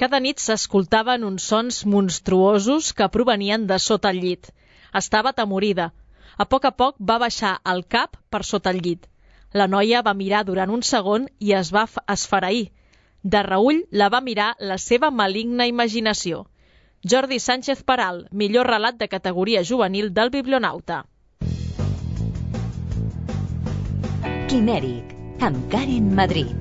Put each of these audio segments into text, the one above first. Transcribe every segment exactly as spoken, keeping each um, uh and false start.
Cada nit s'escoltaven uns sons monstruosos que provenien de sota el llit. Estava atemorida. A poc a poc va baixar el cap per sota el llit. La noia va mirar durant un segon i es va esfereir. De reüll la va mirar la seva maligna imaginació. Jordi Sánchez Peral, millor relat de categoria juvenil del Biblionauta. Quimèric, amb Karen Madrid.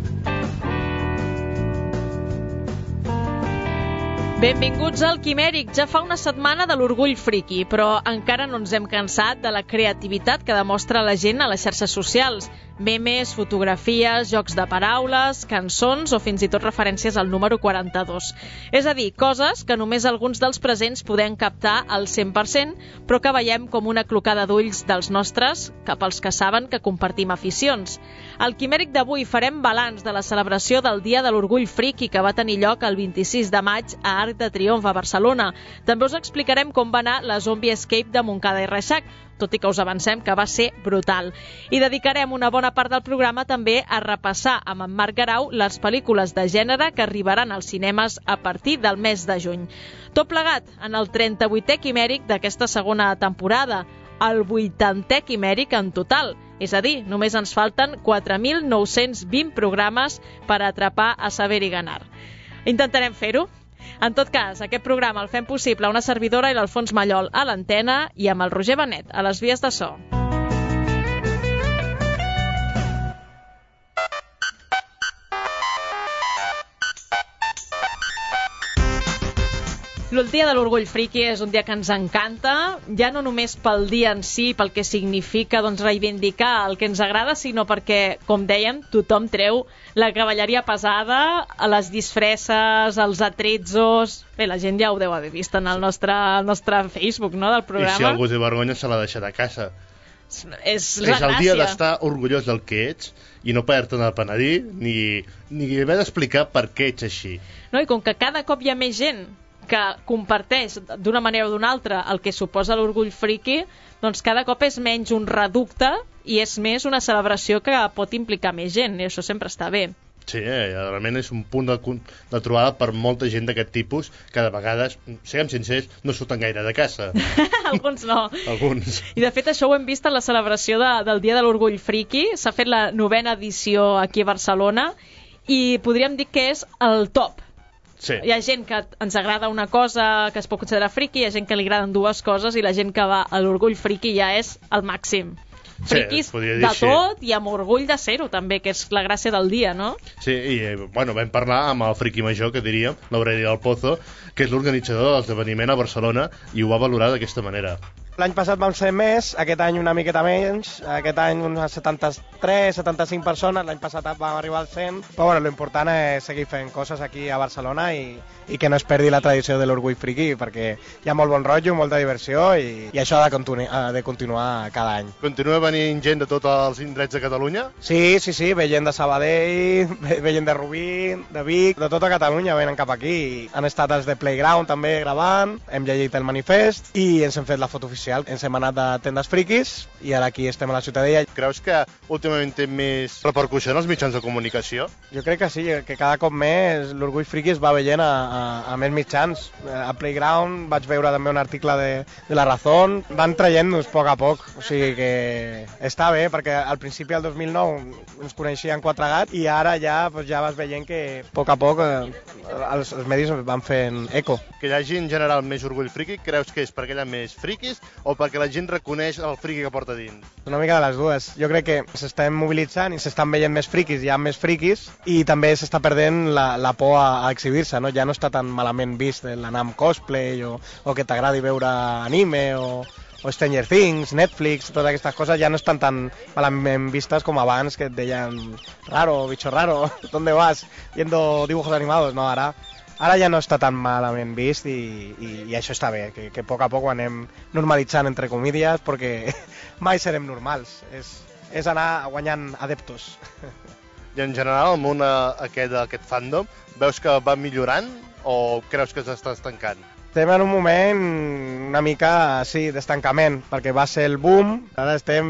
Benvinguts al Quimèric. Ja fa una setmana de l'orgull friki, però encara no ens hem cansat de la creativitat que demostra la gent a les xarxes socials. Memes, fotografies, jocs de paraules, cançons o fins i tot referències al número quaranta-dos. És a dir, coses que només alguns dels presents podem captar al cent per cent, però que veiem com una clocada d'ulls dels nostres cap als que saben que compartim aficions. Al Quimèric d'avui farem balanç de la celebració del Dia de l'Orgull Friki que va tenir lloc el vint-i-sis de maig a Arc de Triomf a Barcelona. També us explicarem com va anar la Zombie Escape de Montcada i Reixac, tot i que us avancem que va ser brutal. I dedicarem una bona part del programa també a repassar amb en Marc Garau les pel·lícules de gènere que arribaran als cinemes a partir del mes de juny. Tot plegat en el trenta-vuitè Quimèric d'aquesta segona temporada, el vuitantè Quimèric en total. És a dir, només ens falten quatre mil nou-cents vint programes per atrapar a Saber i Ganar. Intentarem fer-ho. En tot cas, aquest programa el fem possible una servidora i l'Alfons Mallol a l'antena i amb el Roger Benet a les vies de so. El Dia de l'Orgull Friki és un dia que ens encanta, ja no només pel dia en si, pel que significa doncs, reivindicar el que ens agrada, sinó perquè, com dèiem, tothom treu la cavalleria pesada, les disfresses, els atrezzos... Bé, la gent ja ho deu haver vist en el nostre, el nostre Facebook, no?, del programa. I si algú té vergonya se l'ha deixat a casa. És, és la és el gràcia. dia d'estar orgullós del que ets i no poder-te'n al penedir ni, ni haver d'explicar per què ets així. No, i com que cada cop hi ha més gent que comparteix d'una manera o d'una altra el que suposa l'orgull friki, doncs cada cop és menys un reducte i és més una celebració que pot implicar més gent, i això sempre està bé. Sí, eh, realment és un punt de, de trobada per molta gent d'aquest tipus que de vegades, siguem sincers, no surten gaire de casa. Alguns no. Alguns. I de fet això ho hem vist en la celebració de, del Dia de l'Orgull Friki. S'ha fet la novena edició aquí a Barcelona i podríem dir que és el top. Sí. Hi ha gent que ens agrada una cosa que es pot considerar friki, hi ha gent que li agraden dues coses i la gent que va a l'orgull friki ja és el màxim. Friquis sí, de tot i amb orgull de ser-ho també, que és la gràcia del dia, no? Sí, i bueno, vam parlar amb el friki major, que diríem, l'Aureli del Pozo, que és l'organitzador de l'esdeveniment a Barcelona i ho va valorar d'aquesta manera. L'any passat vam ser més, aquest any una miqueta menys, aquest any unes setanta-tres, setanta-cinc persones, l'any passat vam arribar al cent, però bueno, l'important és seguir fent coses aquí a Barcelona i, i que no es perdi la tradició de l'orgull friki, perquè hi ha molt bon rotllo, molta diversió i, i això ha de, continu ha de continuar cada any. Continua venint gent de tots els indrets de Catalunya? Sí, sí, sí, ve gent de Sabadell, ve gent de Rubí, de Vic, de tota Catalunya venen cap aquí. Han estat els de Playground també gravant, hem llegit el manifest i ens hem fet la foto oficial. Ens hem anat de tendes friquis i ara aquí estem a la Ciutadella. Creus que últimament té més repercussió en els mitjans de comunicació? Jo crec que sí, que cada cop més l'orgull friki es va veient a, a, a més mitjans. A Playground vaig veure també un article de, de La Razón, van traient-nos a poc a poc, o sigui que està bé, perquè al principi del dos mil nou ens coneixien quatre gats i ara ja, pues, ja vas veient que a poc a poc eh, els, els medis van fent eco. Que hi hagi en general més orgull friki, creus que és perquè hi ha més friquis o perquè la gent reconeix el friki que porta dins? Una mica de les dues. Jo crec que s'estan mobilitzant i s'estan veient més friquis, hi ha més friquis i també s'està perdent la, la por a, a exhibir-se, no? Ja no està tan malament vist l'anar amb cosplay o, o que t'agradi veure anime o, o Stranger Things, Netflix, totes aquestes coses ja no estan tan malament vistes com abans, que et deien raro, bicho raro, ¿dónde vas? Viendo dibujos animados, no, ara Ara ja no està tan malament vist i, i, i això està bé, que, que a poc a poc ho anem normalitzant entre comídies perquè mai serem normals, és, és anar guanyant adeptos. I en general el món aquest, aquest fandom, veus que va millorant o creus que s'està estancant? Estem en un moment una mica, sí, d'estancament, perquè va ser el boom, ara estem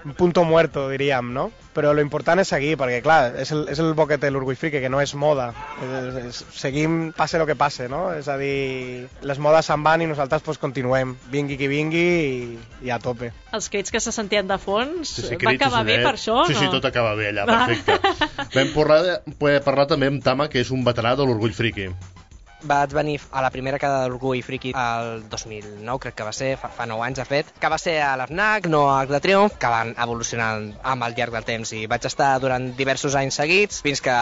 en punto muerto, diríem, no? Però lo important és seguir, perquè clar, és el, és el bo que té l'Orgull Friki, que no és moda. És, és, seguim, passe lo que passe, no? És a dir, les modes se'n van i nosaltres pues, continuem, vingui qui vingui i, i a tope. Els crits que se sentien de fons, sí, sí, va acabar bé per això, sí, no? Sí, sí, tot acaba bé allà, perfecte. Vam parlar, poder parlar també amb Tama, que és un veterà de l'Orgull Friki. Vaig venir a la primera quedada de l'Orgull Friki el dos mil nou, crec que va ser, fa, fa nou anys de fet, que va ser a l'Fnac, no a Arc de Triomf, que van evolucionar amb el llarg del temps i vaig estar durant diversos anys seguits, fins que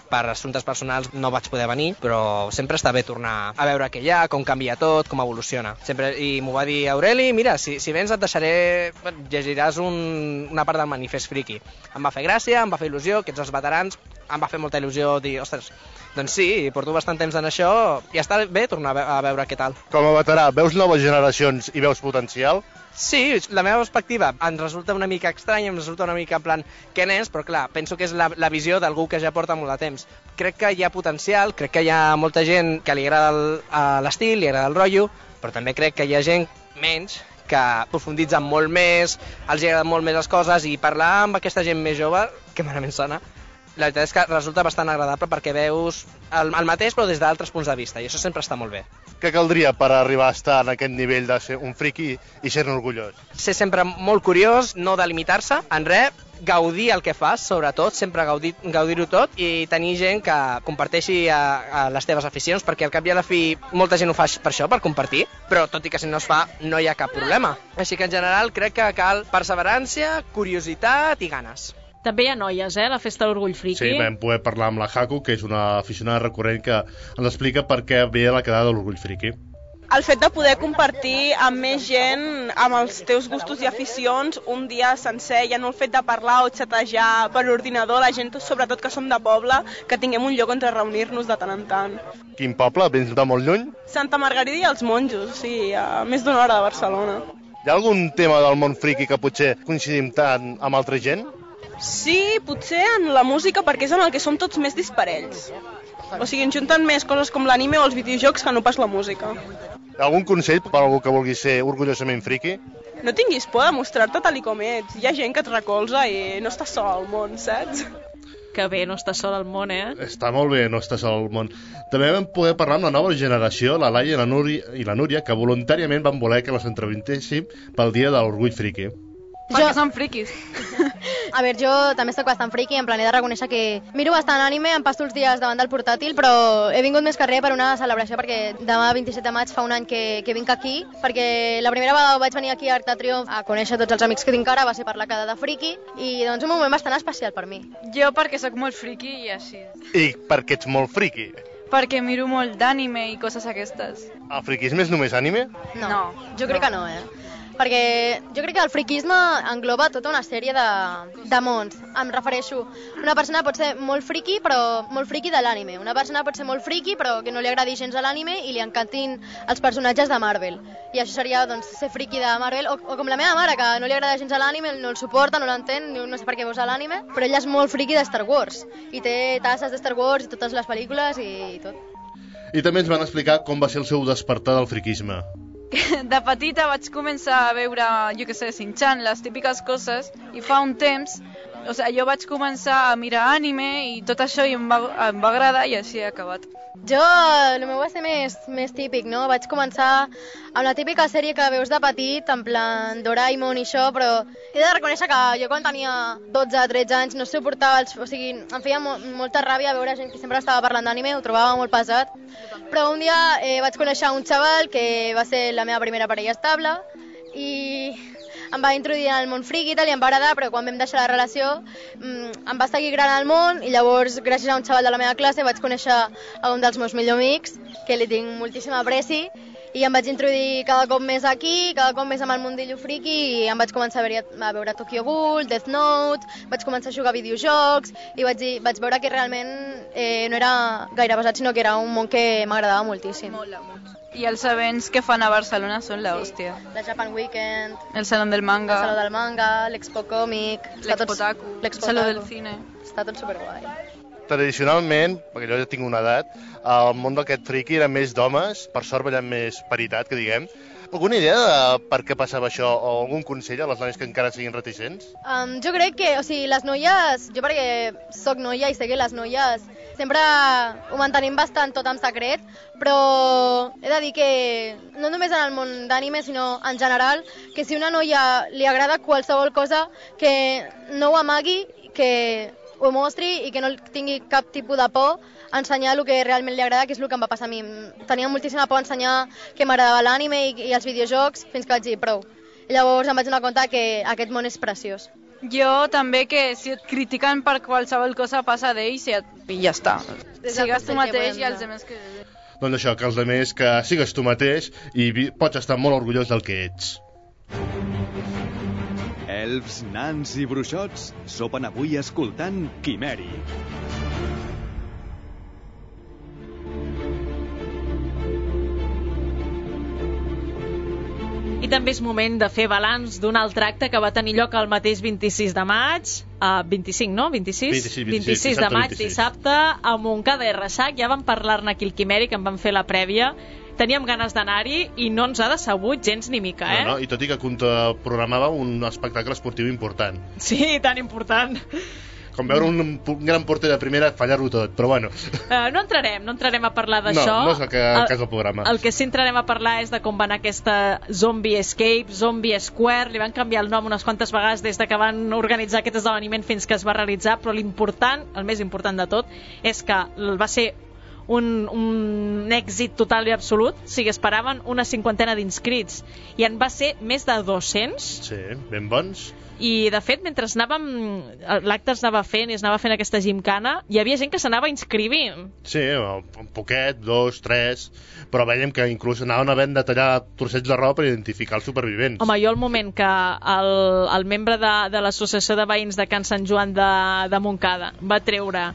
per assumptes personals no vaig poder venir, però sempre està bé tornar a veure què hi ha, com canvia tot, com evoluciona. Sempre, i m'ho va dir Aureli, mira, si, si vens et deixaré, llegiràs un, una part del manifest friki. Em va fer gràcia, em va fer il·lusió, que ets els veterans, em va fer molta il·lusió dir, ostres, doncs sí, porto bastant temps en això i està bé tornar a veure què tal. Com a veterà, veus noves generacions i veus potencial? Sí, la meva perspectiva em resulta una mica estranya, em resulta una mica en plan què n'és, però clar, penso que és la, la visió d'algú que ja porta molt de temps. Crec que hi ha potencial, crec que hi ha molta gent que li agrada l'estil, li agrada el rotllo, però també crec que hi ha gent menys que profunditzen molt més, els agraden molt més les coses i parlar amb aquesta gent més jove, que malament sona, la veritat és que resulta bastant agradable perquè veus el, el mateix però des d'altres punts de vista i això sempre està molt bé. Què caldria per arribar a estar en aquest nivell de ser un friki i ser-ne orgullós? Ser sempre molt curiós, no delimitar-se en res, gaudir el que fas, sobretot, sempre gaudir, gaudir-ho tot i tenir gent que comparteixi a, a les teves aficions, perquè al cap i a la fi molta gent ho fa per això, per compartir, però tot i que si no es fa no hi ha cap problema. Així que en general crec que cal perseverància, curiositat i ganes. També hi ha noies, eh, a la Festa de l'Orgull Friki. Sí, vam poder parlar amb la Haku, que és una aficionada recurrent que ens explica per què ve a la quedada de l'Orgull Friki. El fet de poder compartir amb més gent, amb els teus gustos i aficions, un dia sencer, ja no el fet de parlar o xatejar per ordinador, la gent, sobretot que som de poble, que tinguem un lloc on reunir-nos de tant en tant. Quin poble? Vens de molt lluny? Santa Margarida i els Monjos, sí, a més d'una hora de Barcelona. Hi ha algun tema del món friki que potser coincidim tant amb altra gent? Sí, potser en la música, perquè és en el que som tots més disparells. O sigui, ens junten més coses com l'anime o els videojocs que no pas la música. Algun consell per a algú que vulgui ser orgullosament friki? No tinguis por de mostrar-te tal i com ets. Hi ha gent que et recolza i no estàs sol al món, saps? Que bé, no estàs sol al món, eh? Està molt bé, no estàs sol al món. També vam poder parlar amb la nova generació, la Laia i la Núria, i la Núria, que voluntàriament van voler que les entrevistéssim pel dia de l'Orgull Friki. Perquè som friquis. A veure, jo també soc bastant friqui, en plan he de reconèixer que miro bastant anime, em passo els dies davant del portàtil, però he vingut més que res per una celebració, perquè demà vint-i-set de maig fa un any que, que vinc aquí, perquè la primera vegada vaig venir aquí a Arc de Triomf a conèixer tots els amics que tinc ara, va ser per la quedada friki, i doncs un moment bastant especial per mi. Jo perquè sóc molt friqui i així. I perquè ets molt friki? Perquè miro molt d'anime i coses aquestes. El friquisme és només anime? No, no jo crec no. que no, eh? Perquè jo crec que el friquisme engloba tota una sèrie de, de mons. Em refereixo, una persona pot ser molt friqui, però molt friqui de l'anime. Una persona pot ser molt friqui, però que no li agradi gens a l'anime i li encantin els personatges de Marvel. I això seria, doncs, ser friqui de Marvel. O, o com la meva mare, que no li agrada gens a l'anime, no el suporta, no l'entén, no sé per què veus a l'anime, però ella és molt friqui de Star Wars. I té tasses de Star Wars i totes les pel·lícules i, i tot. I també ens van explicar com va ser el seu despertar del friquisme. De petita vaig començar a veure, jo què sé, Shin-chan, les típiques coses, i fa un temps, o sigui, jo vaig començar a mirar anime i tot això i em va, em va agradar i així he acabat. Jo, el meu va ser més, més típic, no? Vaig començar amb la típica sèrie que veus de petit, en plan Doraemon i això, però he de reconèixer que jo quan tenia dotze o tretze anys no suportava, els, o sigui, em feia mo molta ràbia veure gent que sempre estava parlant d'anime, ho trobava molt pesat, però un dia eh, vaig conèixer un xaval que va ser la meva primera parella estable i em va introduir en el món friki i tal, i em va agradar, però quan vam deixar la relació mmm, em va seguir agradant el món i llavors, gràcies a un xaval de la meva classe, vaig conèixer a un dels meus millors amics, que li tinc moltíssim apreci, i em vaig introduir cada cop més aquí, cada cop més amb el mundillo friki, i em vaig començar a veure, a veure Tokyo Ghoul, Death Note, vaig començar a jugar a videojocs, i vaig, dir, vaig veure que realment eh, no era gaire pesat, sinó que era un món que m'agradava moltíssim. Molt, molt. I els events que fan a Barcelona són la hòstia. Sí, la Japan Weekend, el Saló del Manga, el Saló del Manga, l'Expo Còmic, l'Expotaku, el Saló del Cine. Està tot superguai. tradicionalment, perquè jo ja tinc una edat, el món d'aquest friqui era més d'homes, per sort ballant més paritat, que diguem. Alguna idea de per què passava això o algun consell a les noies que encara siguin reticents? Um, jo crec que, o sigui, les noies, jo perquè sóc noia i sé que les noies sempre ho mantenim bastant tot en secret, però he de dir que no només en el món d'anime, sinó en general, que si una noia li agrada qualsevol cosa, que no ho amagui, que ho mostri i que no tingui cap tipus de por a ensenyar el que realment li agrada, que és el que em va passar a mi. Tenia moltíssima por a ensenyar que m'agradava l'anime i, i els videojocs fins que vaig dir prou. I llavors em vaig donar compte que aquest món és preciós. Jo també, que si et critiquen per qualsevol cosa passa d'ells i, et... i ja està. Sigues tu mateix i els altres que... Doncs això, que els altres que sigues tu mateix i pots estar molt orgullós del que ets. Elfs, nans i bruixots sopen avui escoltant Quimeri. I també és moment de fer balanç d'un altre acte que va tenir lloc el mateix vint-i-sis de maig, uh, vint-i-cinc, no? vint-i-sis? vint-i-sis, vint-i-sis de maig, dissabte, a Montcada i Reixac. Ja vam parlar-ne aquí al Quimeri, que en vam fer la prèvia. Teníem ganes d'anar-hi i no ens ha decebut gens ni mica, eh? No, no, i tot i que programava un espectacle esportiu important. Sí, tan important. Com veure un, un gran porter de primera fallar-ho tot, però bueno. Uh, no entrarem, no entrarem a parlar d'això. No, no és el que, el cas del programa. El que sí entrarem a parlar és de com va anar aquesta Zombie Escape, Zombie Square. Li van canviar el nom unes quantes vegades des de que van organitzar aquest esdeveniment fins que es va realitzar, però l'important, el més important de tot, és que va ser un, un èxit total i absolut. O sigui, esperaven una cinquantena d'inscrits i en va ser més de dos-cents. Sí, ben bons. I, de fet, mentre anàvem, l'acte es anava fent i es anava fent aquesta gimcana, hi havia gent que s'anava inscrivint. Sí, un poquet, dos, tres, però veiem que inclús anaven havent de tallar trossets de roba per identificar els supervivents. Home, jo al moment que el, el membre de, de l'Associació de Veïns de Can Sant Joan de, de Montcada va treure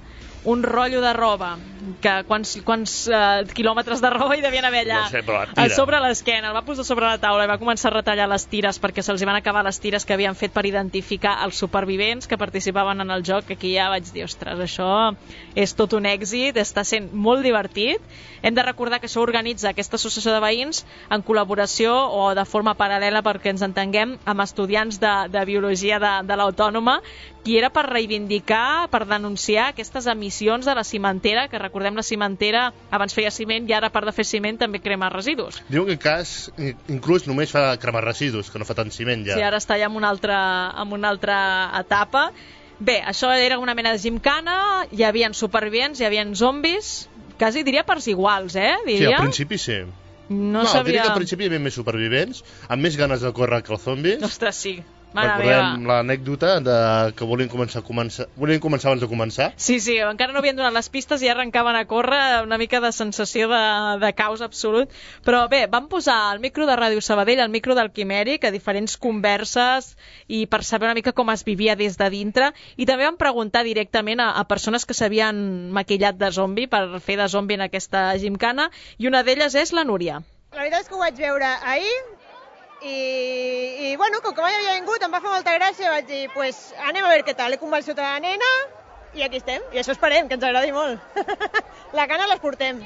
un rotllo de roba, que quants, quants uh, quilòmetres de roba hi devien haver allà, no sé, a sobre l'esquena, el va posar sobre la taula i va començar a retallar les tires perquè se'ls van acabar les tires que havien fet per identificar els supervivents que participaven en el joc, que aquí ja vaig dir, ostres, això és tot un èxit, està sent molt divertit. Hem de recordar que això organitza aquesta associació de veïns en col·laboració o de forma paral·lela, perquè ens entenguem, amb estudiants de, de biologia de, de l'Autònoma, i era per reivindicar, per denunciar aquestes emissions de la cimentera, que recordem la cimentera abans feia ciment i ara a part de fer ciment també crema residus. Diu que en cas inclús només fa cremar residus, que no fa tant ciment ja. Sí, ara està ja en una altra, en una altra etapa. Bé, això era una mena de gimcana, hi havia supervivents, hi havia zombis, quasi diria parts iguals, eh? Diria. Sí, al principi sí. No, no sabia... diria que al principi hi havia més supervivents, amb més ganes de córrer que els zombis. Ostres, sí. Mare Recordem l'anècdota de que volien començar, a començar, volien començar abans de començar. Sí, sí, encara no havien donat les pistes i ja arrencaven a córrer, una mica de sensació de, de caos absolut. Però bé, vam posar el micro de Ràdio Sabadell, el micro del Quimèric, a diferents converses i per saber una mica com es vivia des de dintre. I també vam preguntar directament a, a persones que s'havien maquillat de zombi per fer de zombi en aquesta gimcana, i una d'elles és la Núria. La veritat és que ho vaig veure ahir, I, i bueno, com que mai havia vingut em va fer molta gràcia, vaig dir, pues anem a veure què tal, he convençut a la nena i aquí estem, i això esperem, que ens agradi molt. La gana les portem,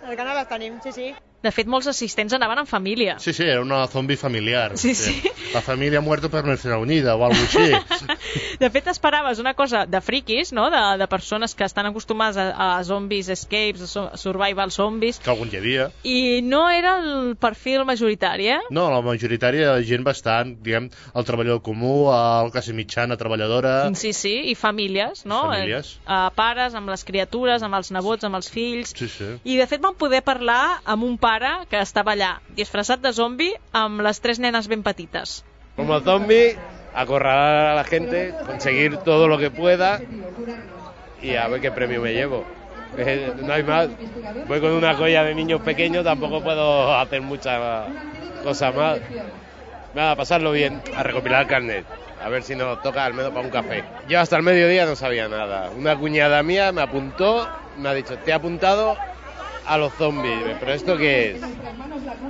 la gana les tenim, sí, sí. De fet, molts assistents anaven en família. Sí, sí, era una zombi familiar. Sí, sí. La família muerto per nuestra unida o alguna cosa així. De fet, esperaves una cosa de friquis, no? De, de persones que estan acostumades a, a zombies, escapes, a survival zombies. Que algun hi havia. I no era el perfil majoritari, eh? No, la majoritària de gent bastant, diguem, el treballador comú, el classe mitjana, treballadora... Sí, sí, i famílies, no? Famílies. Eh, pares, amb les criatures, amb els nebots, amb els fills... Sí, sí. I de fet vam poder parlar amb un pare que estava allà, disfressat de zombi, amb les tres nenes ben petites. Como zombi, acorralar a la gente, conseguir todo lo que pueda y a ver qué premio me llevo. No hay más. Voy con una joya de niños pequeños, tampoco puedo hacer mucha cosa más. Nada, pasarlo bien, a recopilar carnet. A ver si nos toca al menos para un café. Yo hasta el mediodía no sabía nada. Una cuñada mía me apuntó, me ha dicho, te he apuntado a los zombies. ¿Pero esto qué es?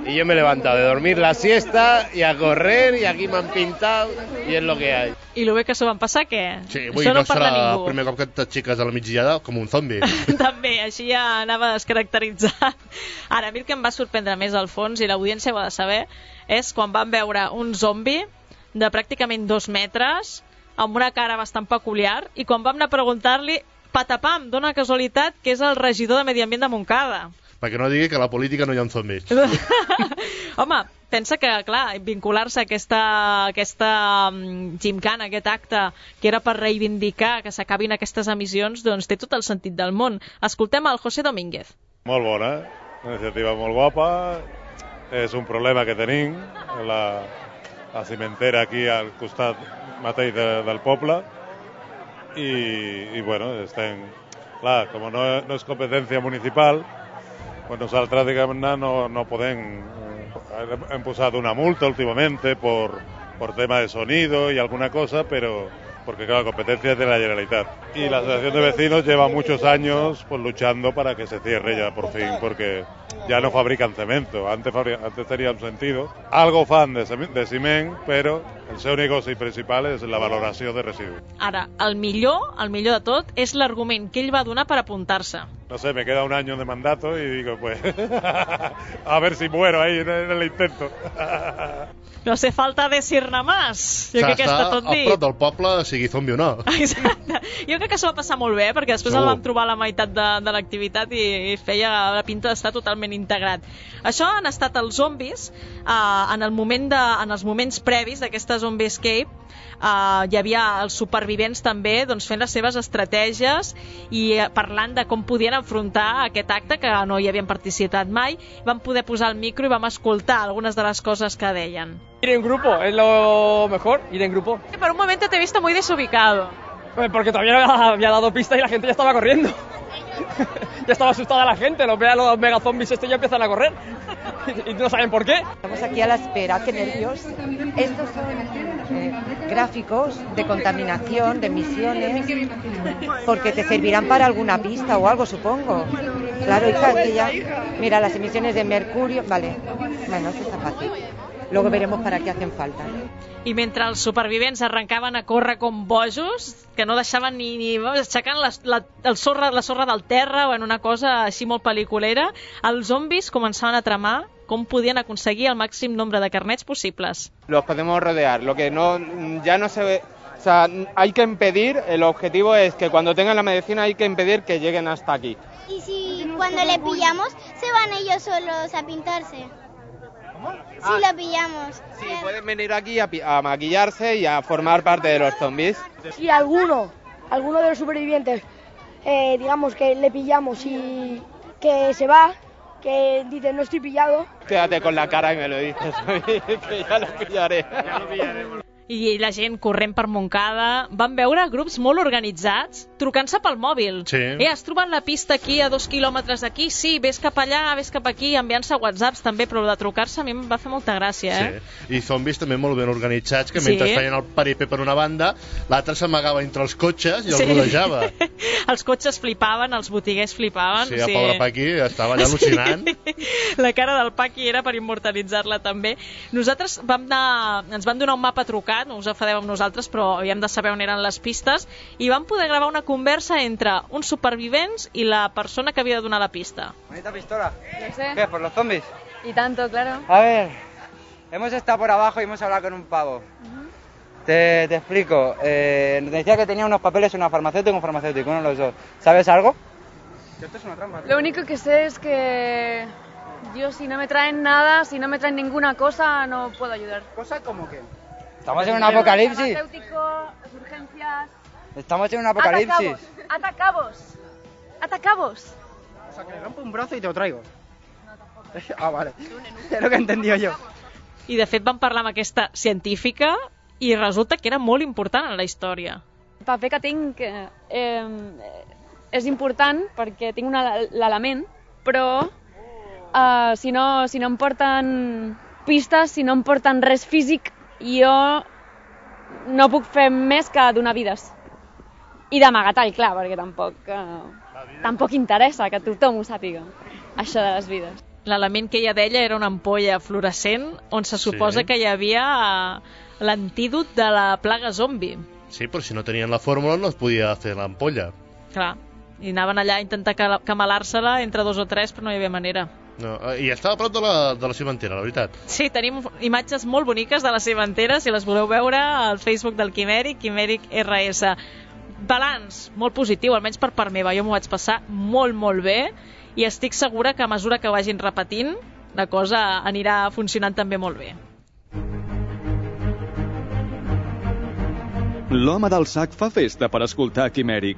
Y yo me he levantado de dormir la siesta y a correr y aquí m'han pintado i és lo que hay. I lo bé que s'ho van passar, què? Sí, avui Això no, no parla serà ningú. el primer cop que t'aixeques a la migdiada com un zombi. També, així ja anava descaracteritzat. Ara, a mi el que em va sorprendre més al fons, i l'audiència ho ha de saber, és quan vam veure un zombi de pràcticament dos metres, amb una cara bastant peculiar, i quan vam anar a preguntar-li, patapam, dona casualitat que és el regidor de Medi Ambient de Montcada. Perquè no digui que a la política no hi ha zombis. Home, pensa que, clar, vincular-se a aquesta, aquesta um, gimcana, aquest acte, que era per reivindicar que s'acabin aquestes emissions, doncs té tot el sentit del món. Escoltem el José Domínguez. Molt bona, una iniciativa molt guapa, és un problema que tenim, la, la cimentera aquí al costat mateix de, del poble, i, i bueno, estem, clar, com no, no és competència municipal, pues nosaltres, diguem-ne, no, no podem... Hem posat una multa últimamente por, por tema de sonido y alguna cosa, pero porque claro, la competencia es de la Generalitat. Y la Asociación de Vecinos lleva muchos años pues luchando para que se cierre ya por fin, porque ya no fabrican cemento. Antes, fabri antes tenía un sentido. Algo fan de, de ciment, pero el seu negoci principal és la valoració de residus. Ara, el millor, el millor de tot, és l'argument que ell va donar per apuntar-se. No sé, me queda un año de mandato y digo, pues, a ver si muero ahí en el intento. No hace falta decir-ne más. Jo crec que està tot dit. A prop del poble, sigui zombi o no. Exacte. Jo crec que s'ho va passar molt bé, perquè després el vam trobar a la meitat de, de l'activitat i, i feia la pinta d'estar totalment integrat. Això han estat els zombis eh, en, el moment de, en els moments previs d'aquesta Zombie Escape. Uh, hi havia els supervivents també doncs, fent les seves estratègies i uh, parlant de com podien enfrontar aquest acte que no hi havien participat mai. Vam poder posar el micro i vam escoltar algunes de les coses que deien. Ir en grupo es lo mejor, ir en grupo. Por un momento te he visto muy desubicado. Porque todavía había dado pista y la gente ya estaba corriendo. Ya estaba asustada la gente, los ve a los megazombies estos ya empiezan a correr. Y no saben por qué. Estamos aquí a la espera, qué nervios. Estos son eh, gráficos de contaminación, de emisiones, porque te servirán para alguna pista o algo, supongo. Claro, hija, que ya... Mira, las emisiones de mercurio... Vale, bueno, eso está fácil. Luego veremos para qué hacen falta. I mentre els supervivents arrencaven a córrer com bojos, que no deixaven ni, ni aixecant la, la, el sorra, la sorra del terra o en una cosa així molt pel·liculera, els zombis començaven a tramar com podien aconseguir el màxim nombre de carnets possibles. Los podemos rodear, lo que no, ya no se ve, o sea, hay que impedir, el objetivo es que cuando tengan la medicina hay que impedir que lleguen hasta aquí. Y si cuando le pillamos se van ellos solos a pintarse. Si ah, lo pillamos. Sí, pueden venir aquí a, a maquillarse y a formar parte de los zombies. Si alguno, alguno de los supervivientes, eh, digamos que le pillamos y que se va, que dice no estoy pillado. Quédate con la cara y me lo dices, que ya lo pillaré. Ya lo pillaremos. I la gent corrent per Montcada. Van veure grups molt organitzats trucant-se pel mòbil. Sí. Eh, has trobat la pista aquí a dos quilòmetres d'aquí? Sí, vés cap allà, vés cap aquí, enviant-se whatsapps també, però de trucar-se a mi em va fer molta gràcia, eh? Sí. I zombis també molt ben organitzats, que mentre sí. feien el peripé per una banda, l'altre s'amagava entre els cotxes i el sí. rodejava. Els cotxes flipaven, els botiguers flipaven. Sí, el sí. pobre Paqui estava allà al·lucinant. Sí. La cara del Paqui era per immortalitzar-la també. Nosaltres vam anar, ens van donar un mapa trucat, no us afadeu amb nosaltres, però havíem de saber on eren les pistes, i vam poder gravar una conversa entre uns supervivents i la persona que havia de donar la pista. ¿Bonita pistola? No sé. ¿Qué? ¿Por los zombies? Y tanto, claro. A ver, hemos estado por abajo y hemos hablado con un pavo. Uh-huh. Te, te explico. Eh, decía que tenía unos papeles, una farmacéutica y un farmacéutico, uno de los dos. ¿Sabes algo? Esto es una trampa. Lo único que sé es que yo, si no me traen nada, si no me traen ninguna cosa, no puedo ayudar. ¿Cosa como qué? Estamos en un apocalipsis. Urgencias. Estamos en un apocalipsis. Atacabos. Atacabos. O sea, que le rompo un brazo y te lo traigo. No, tampoco. Ah, vale. És el que he entendido jo. I de fet vam parlar amb aquesta científica i resulta que era molt important en la història. El paper que tinc eh, és important perquè tinc l'element, però eh, si, no, si no em porten pistes, si no em porten res físic, jo no puc fer més que donar vides. I d'amagatall, clar, perquè tampoc, eh, tampoc interessa que tothom ho sàpiga. això de les vides. L'element que ella deia era una ampolla fluorescent on se suposa Sí. que hi havia l'antídot de la plaga zombi. Sí, però si no tenien la fórmula no es podia fer l'ampolla. Clar, i anaven allà a intentar ca- camalar-se-la entre dos o tres, però no hi havia manera. No, I estava a prop de la, de la cimentera, la veritat. Sí, tenim imatges molt boniques de la cimentera, si les voleu veure al Facebook del Quimèric, Quimèric R S. Balanç, molt positiu, almenys per part meva. Jo m'ho vaig passar molt, molt bé i estic segura que a mesura que vagin repetint, la cosa anirà funcionant també molt bé. L'home del sac fa festa per escoltar Quimèric.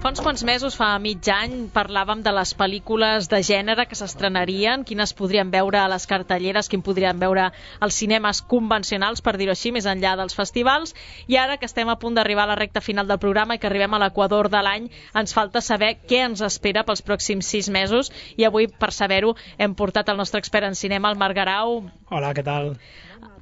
Fa uns quants mesos, fa mig any, parlàvem de les pel·lícules de gènere que s'estrenarien, quines podríem veure a les cartelleres, quin podríem veure als cinemes convencionals, per dir-ho així, més enllà dels festivals. I ara que estem a punt d'arribar a la recta final del programa i que arribem a l'equador de l'any, ens falta saber què ens espera pels pròxims sis mesos. I avui, per saber-ho, hem portat el nostre expert en cinema, el Marc Guerau. Hola, què tal?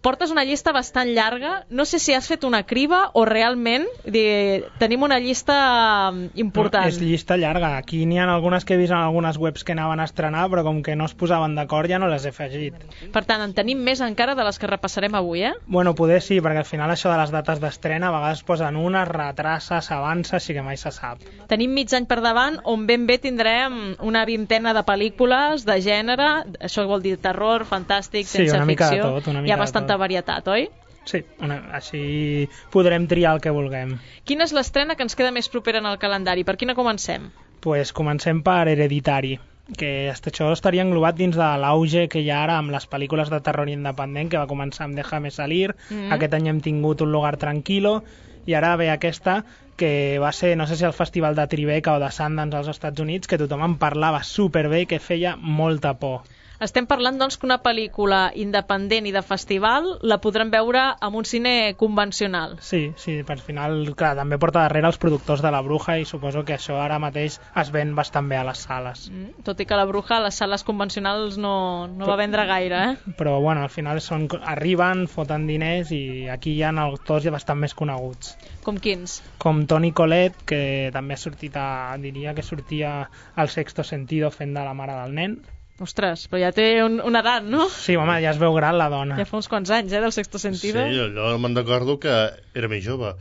Portes una llista bastant llarga. No sé si has fet una criba o realment de... tenim una llista important. No, és llista llarga. Aquí n'hi ha algunes que he vist en algunes webs que anaven a estrenar, però com que no es posaven d'acord ja no les he afegit. Per tant, en tenim més encara de les que repassarem avui, eh? Bueno, poder sí, perquè al final això de les dates d'estrena a vegades posen unes, retrassa, s'avança, així que mai se sap. Tenim mig any per davant on ben bé tindrem una vintena de pel·lícules de gènere, això vol dir terror, fantàstic, Sí, ciència una mica de ficció. tot, una Hi mica ha de bastanta tot. varietat, oi? Sí, una, així podrem triar el que vulguem. Quina és l'estrena que ens queda més propera en el calendari? Per quina comencem? Pues comencem per Hereditari, que això estaria englobat dins de l'auge que hi ha ara amb les pel·lícules de terror independent, que va començar amb Déjame salir, Mhm. aquest any hem tingut Un lugar tranquilo, i ara ve aquesta que va ser, no sé si al Festival de Tribeca o de Sundance als Estats Units, que tothom en parlava superbé i que feia molta por. Estem parlant, doncs, que una pel·lícula independent i de festival la podrem veure en un cine convencional. Sí, sí, per final, clar, també porta darrere els productors de La Bruja i suposo que això ara mateix es ven bastant bé a les sales. Mm, tot i que La Bruja a les sales convencionals no, no va vendre gaire, eh? Però bueno, al final són, arriben, foten diners i aquí hi ha autors bastant més coneguts. Com quins? Com Toni Collette, que també ha sortit a, diria que sortia al Sexto Sentido fent de la mare del nen. Ostres, però ja té un, una edat, no? Sí, home, ja es veu gran la dona. Ja fa uns quants anys, eh, del Sexto Sí, Sentido. allò me'n recordo que era més jove.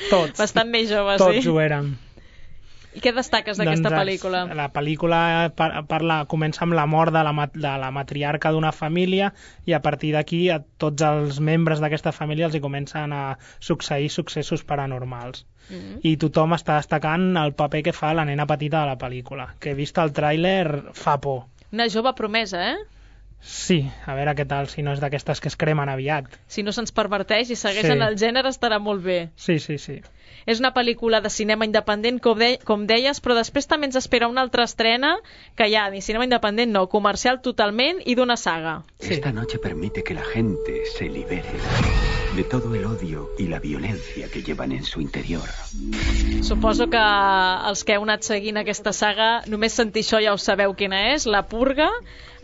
Tots. Bastant més jove, Tots sí. ho érem. I què destaques d'aquesta Doncs, pel·lícula? La pel·lícula par parla, comença amb la mort de la, mat de la matriarca d'una família i a partir d'aquí a tots els membres d'aquesta família els hi comencen a succeir successos paranormals. Mm. I tothom està destacant el paper que fa la nena petita de la pel·lícula, que vist el tràiler fa por. Una jove promesa, eh? Sí, a veure què tal, si no és d'aquestes que es cremen aviat. Si no se'ns perverteix i segueix Sí. en el gènere estarà molt bé. Sí, sí, sí. És una pel·lícula de cinema independent, com, de com deies, però després també ens espera una altra estrena que ja, ni cinema independent no, comercial totalment i d'una saga. Esta noche permite que la gente se libere de todo el odio y la violencia que llevan en su interior. Suposo que els que heu anat seguint aquesta saga, només sentir això ja ho sabeu quina és, La Purga.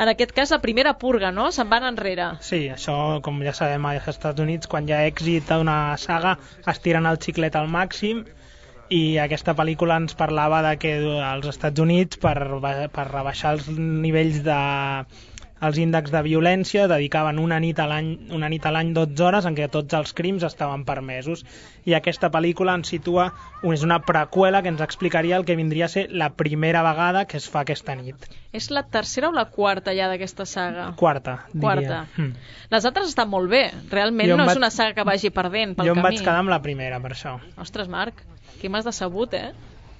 En aquest cas, la primera purga, no? Se'n van enrere. Sí, això, com ja sabem, als Estats Units, quan hi ha èxit d'una saga, es tiren el xiclet al màxim, i aquesta pel·lícula ens parlava de que als Estats Units, per, per rebaixar els nivells de els índexs de violència, dedicaven una nit a l'any una nit a l'any dotze hores en què tots els crims estaven permesos. I aquesta pel·lícula ens situa, és una preqüela que ens explicaria el que vindria a ser la primera vegada que es fa aquesta nit. És la tercera o la quarta ja d'aquesta saga? Quarta, diria. Quarta. Mm. Les altres estan molt bé. Realment Jo em no vaig- és una saga que vagi perdent pel Jo em camí. vaig quedar amb la primera, per això. Ostres, Marc, aquí m'has decebut, eh?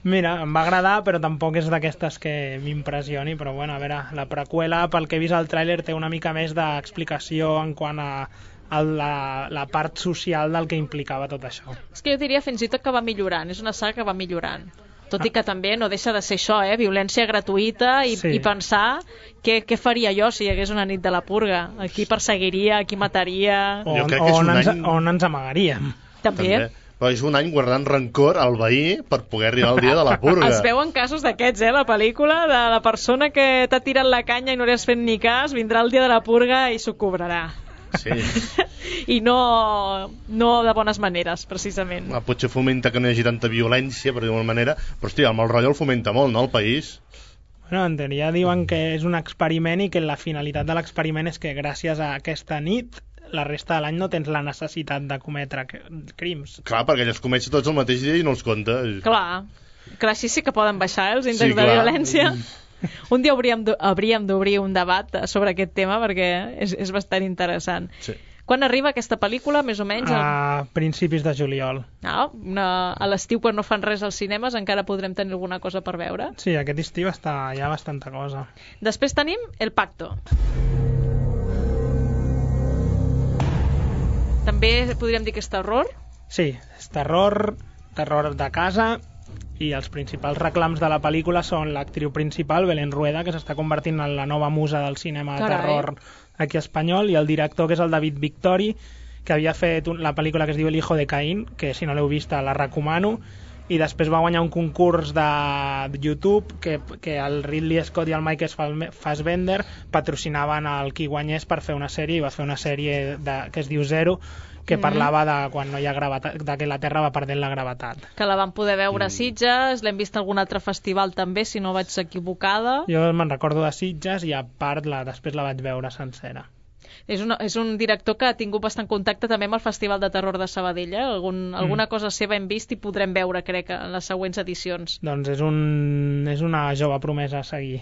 Mira, em va agradar, però tampoc és d'aquestes que m'impressioni, però bueno, a veure, la preqüela, pel que he vist al tràiler, té una mica més d'explicació en quant a, a la, la part social del que implicava tot això. És que jo diria fins i tot que va millorant. És una saga que va millorant. Tot i que també no deixa de ser això, eh? Violència gratuïta i, Sí. i pensar què, què faria jo si hi hagués una nit de la purga. A qui perseguiria, a qui mataria... On, on, ens, on ens amagaríem. També. També. Però és un any guardant rancor al veí per poder arribar al dia de la purga. Es veuen casos d'aquests, eh, la pel·lícula, de la persona que t'ha tirat la canya i no li has fet ni cas, vindrà el dia de la purga i s'ho cobrarà. Sí. I no, no de bones maneres, precisament. Ah, potser fomenta que no hi hagi tanta violència, per dir-ho manera, però hòstia, el mal rotllo el fomenta molt, no, el país? Bueno, en teoria diuen que és un experiment i que la finalitat de l'experiment és que gràcies a aquesta nit la resta de l'any no tens la necessitat de cometre crims. Clar, perquè elles comencen tots el mateix dia i no els compta. Clar, clar, així sí que poden baixar eh, els índexs Sí, de clar. violència. Un dia hauríem d- hauríem d'obrir un debat sobre aquest tema perquè és, és bastant interessant. Sí. Quan arriba aquesta pel·lícula, més o menys? A principis de juliol. Ah, una, a l'estiu, quan no fan res als cinemes, encara podrem tenir alguna cosa per veure. Sí, aquest estiu està, hi ha bastanta cosa. Després tenim El Pacto. També podríem dir que és terror? Sí, és terror, terror de casa, i els principals reclams de la pel·lícula són l'actriu principal, Belén Rueda, que s'està convertint en la nova musa del cinema de Carai. terror aquí espanyol, i el director, que és el David Victori, que havia fet un, la pel·lícula que es diu El hijo de Caín, que si no l'heu vista la recomano, i després va guanyar un concurs de YouTube que, que el Ridley Scott i el Michael Fassbender patrocinaven el qui guanyés per fer una sèrie, i va fer una sèrie de, que es diu Zero, que Mhm. parlava de quan no hi ha gravetat, de que la Terra va perdent la gravetat. Que la vam poder veure a Sitges, l'hem vist a algun altre festival també, si no vaig equivocada. Jo me'n recordo de Sitges i a part la, després la vaig veure sencera. És, una, és un director que ha tingut bastant contacte també amb el Festival de Terror de Sabadell. Eh? Algun, alguna cosa seva hem vist i podrem veure, crec, en les següents edicions. Doncs és, un, és una jove promesa a seguir.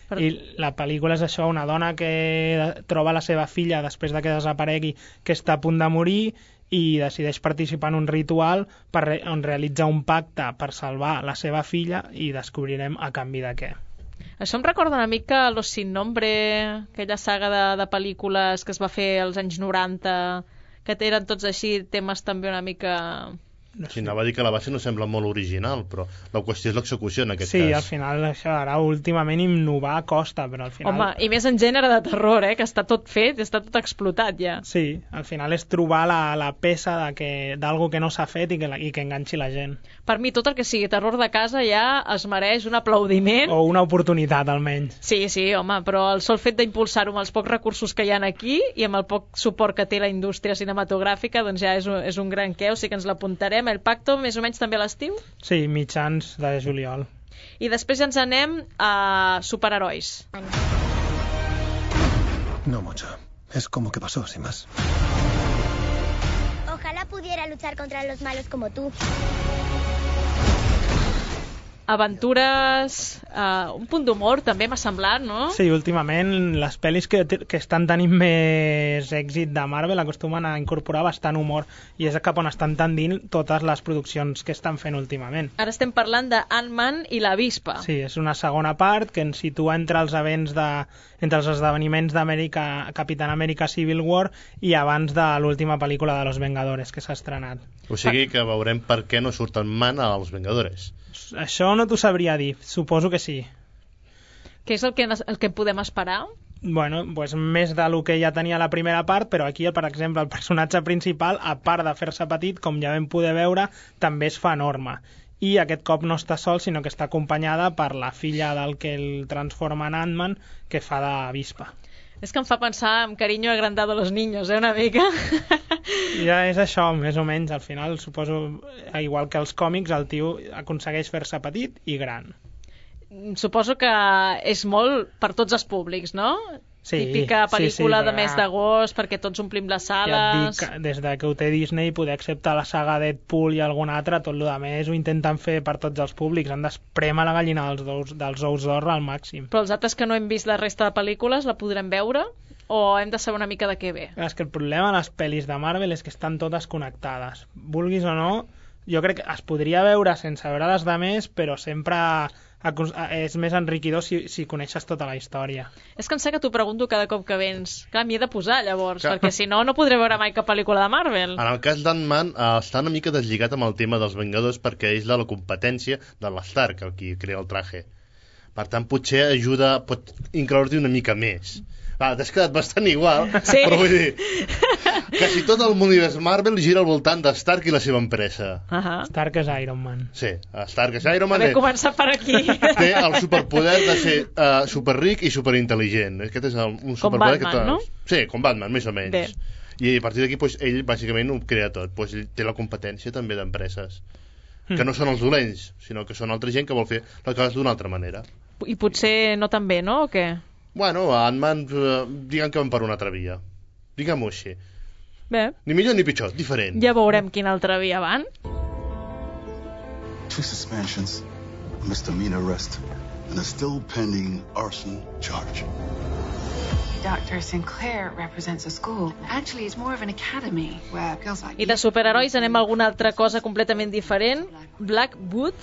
Per... I la pel·lícula és això, una dona que troba la seva filla després de que desaparegui, que està a punt de morir, i decideix participar en un ritual per re on realitza un pacte per salvar la seva filla, i descobrirem a canvi de què. Això em recorda una mica Los Sin Nombre, aquella saga de, de pel·lícules que es va fer als anys noranta, que eren tots així temes també una mica... No sé. Sí, anava a dir que la base no sembla molt original, però la qüestió és l'execució en aquest sí, cas. al final això ara últimament innovar costa, però al final... Home, i més en gènere de terror, eh? Que està tot fet, està tot explotat ja. Sí, al final és trobar la, la peça de que, d'algo que no s'ha fet i que, la, i que enganxi la gent. Per mi tot el que sigui terror de casa ja es mereix un aplaudiment. O una oportunitat, almenys. Sí, sí, home, però el sol fet d'impulsar-ho amb els pocs recursos que hi ha aquí i amb el poc suport que té la indústria cinematogràfica, doncs ja és un, és un gran què, o sigui que ens l'apuntarem. El Pacto, més o menys també a l'estiu? Sí, mitjans de juliol. I després ja ens anem a superherois. No mucho. Es como que pasó, sin más. Ojalá pudiera luchar contra los malos como tú. Aventures, uh, un punt d'humor també m'ha semblat, no? Sí, últimament les pel·lis que, que estan tenint més èxit de Marvel acostumen a incorporar bastant humor, i és cap on estan tendint totes les produccions que estan fent últimament. Ara estem parlant de Ant-Man i l'avispa. Sí, és una segona part que ens situa entre els events de, entre els esdeveniments d'Amèrica, Capitán Amèrica Civil War, i abans de l'última pel·lícula de Los Vengadores que s'ha estrenat. O sigui que veurem per què no surten Man als Vengadores. Això no t'ho sabria dir, suposo que sí. Què és el que, el que podem esperar? Bueno, pues més de lo que ja tenia la primera part, però aquí, per exemple, el personatge principal, a part de fer-se petit, com ja vam poder veure, també es fa enorme. I aquest cop no està sol, sinó que està acompanyada per la filla del que el transforma en Ant-Man, que fa d'avispa. És que em fa pensar en Cariño agrandado a los niños, eh, una mica. Ja és això, més o menys. Al final, suposo, igual que els còmics, el tio aconsegueix fer-se petit i gran. Suposo que és molt per tots els públics, no? Sí, típica pel·lícula sí, sí, de mes d'agost perquè tots omplim les sales. Ja et dic, des de que ho té Disney, poder acceptar la saga Deadpool i alguna altra, tot el que més ho intenten fer per tots els públics. Han d'espremar la gallina dels ous, dels ous d'or al màxim. Però els altres que no hem vist la resta de pel·lícules la podrem veure? O hem de saber una mica de què ve? És que el problema de les pel·lis de Marvel és que estan totes connectades. Vulguis o no, jo crec que es podria veure sense veure les de més, però sempre és més enriquidor si, si coneixes tota la història. És que em sé que t'ho pregunto cada cop que vens. Clar, m'hi he de posar, llavors, Clar. perquè si no, no podré veure mai cap pel·lícula de Marvel. En el cas d'Ant-Man, eh, està una mica deslligat amb el tema dels Vengadors perquè és de la competència de l'Stark, el qui crea el traje. Per tant, potser ajuda, pot incloure-hi una mica més. Va, t'has quedat bastant igual, sí. Però vull dir, quasi tot el univers Marvel gira al voltant de Stark i la seva empresa. Uh -huh. Stark és Iron Man. Sí, Stark és Iron Man. Haver començat per aquí. Té el superpoder de ser uh, superric i superintel·ligent. Aquest és el, un superpoder Batman, que té... no? Sí, com Batman, més o menys. Bé. I a partir d'aquí, doncs, ell bàsicament ho crea tot. Doncs, ell té la competència també d'empreses. Mm. Que no són els dolents, sinó que són altra gent que vol fer les coses d'una altra manera. I potser no tan bé, no? O què? Bueno, Ant-Man, eh, diguem que van per una altra via. Diguem-ho així. Bé. Ni millor ni pitjor, diferent. Ja veurem quina altra via van. Two suspensions, a misdemeanor arrest, and a still pending arson charge. Doctor Sinclair represents a school. Actually, it's more of an academy where girls like I de superherois anem a alguna altra cosa completament diferent. Black Boot.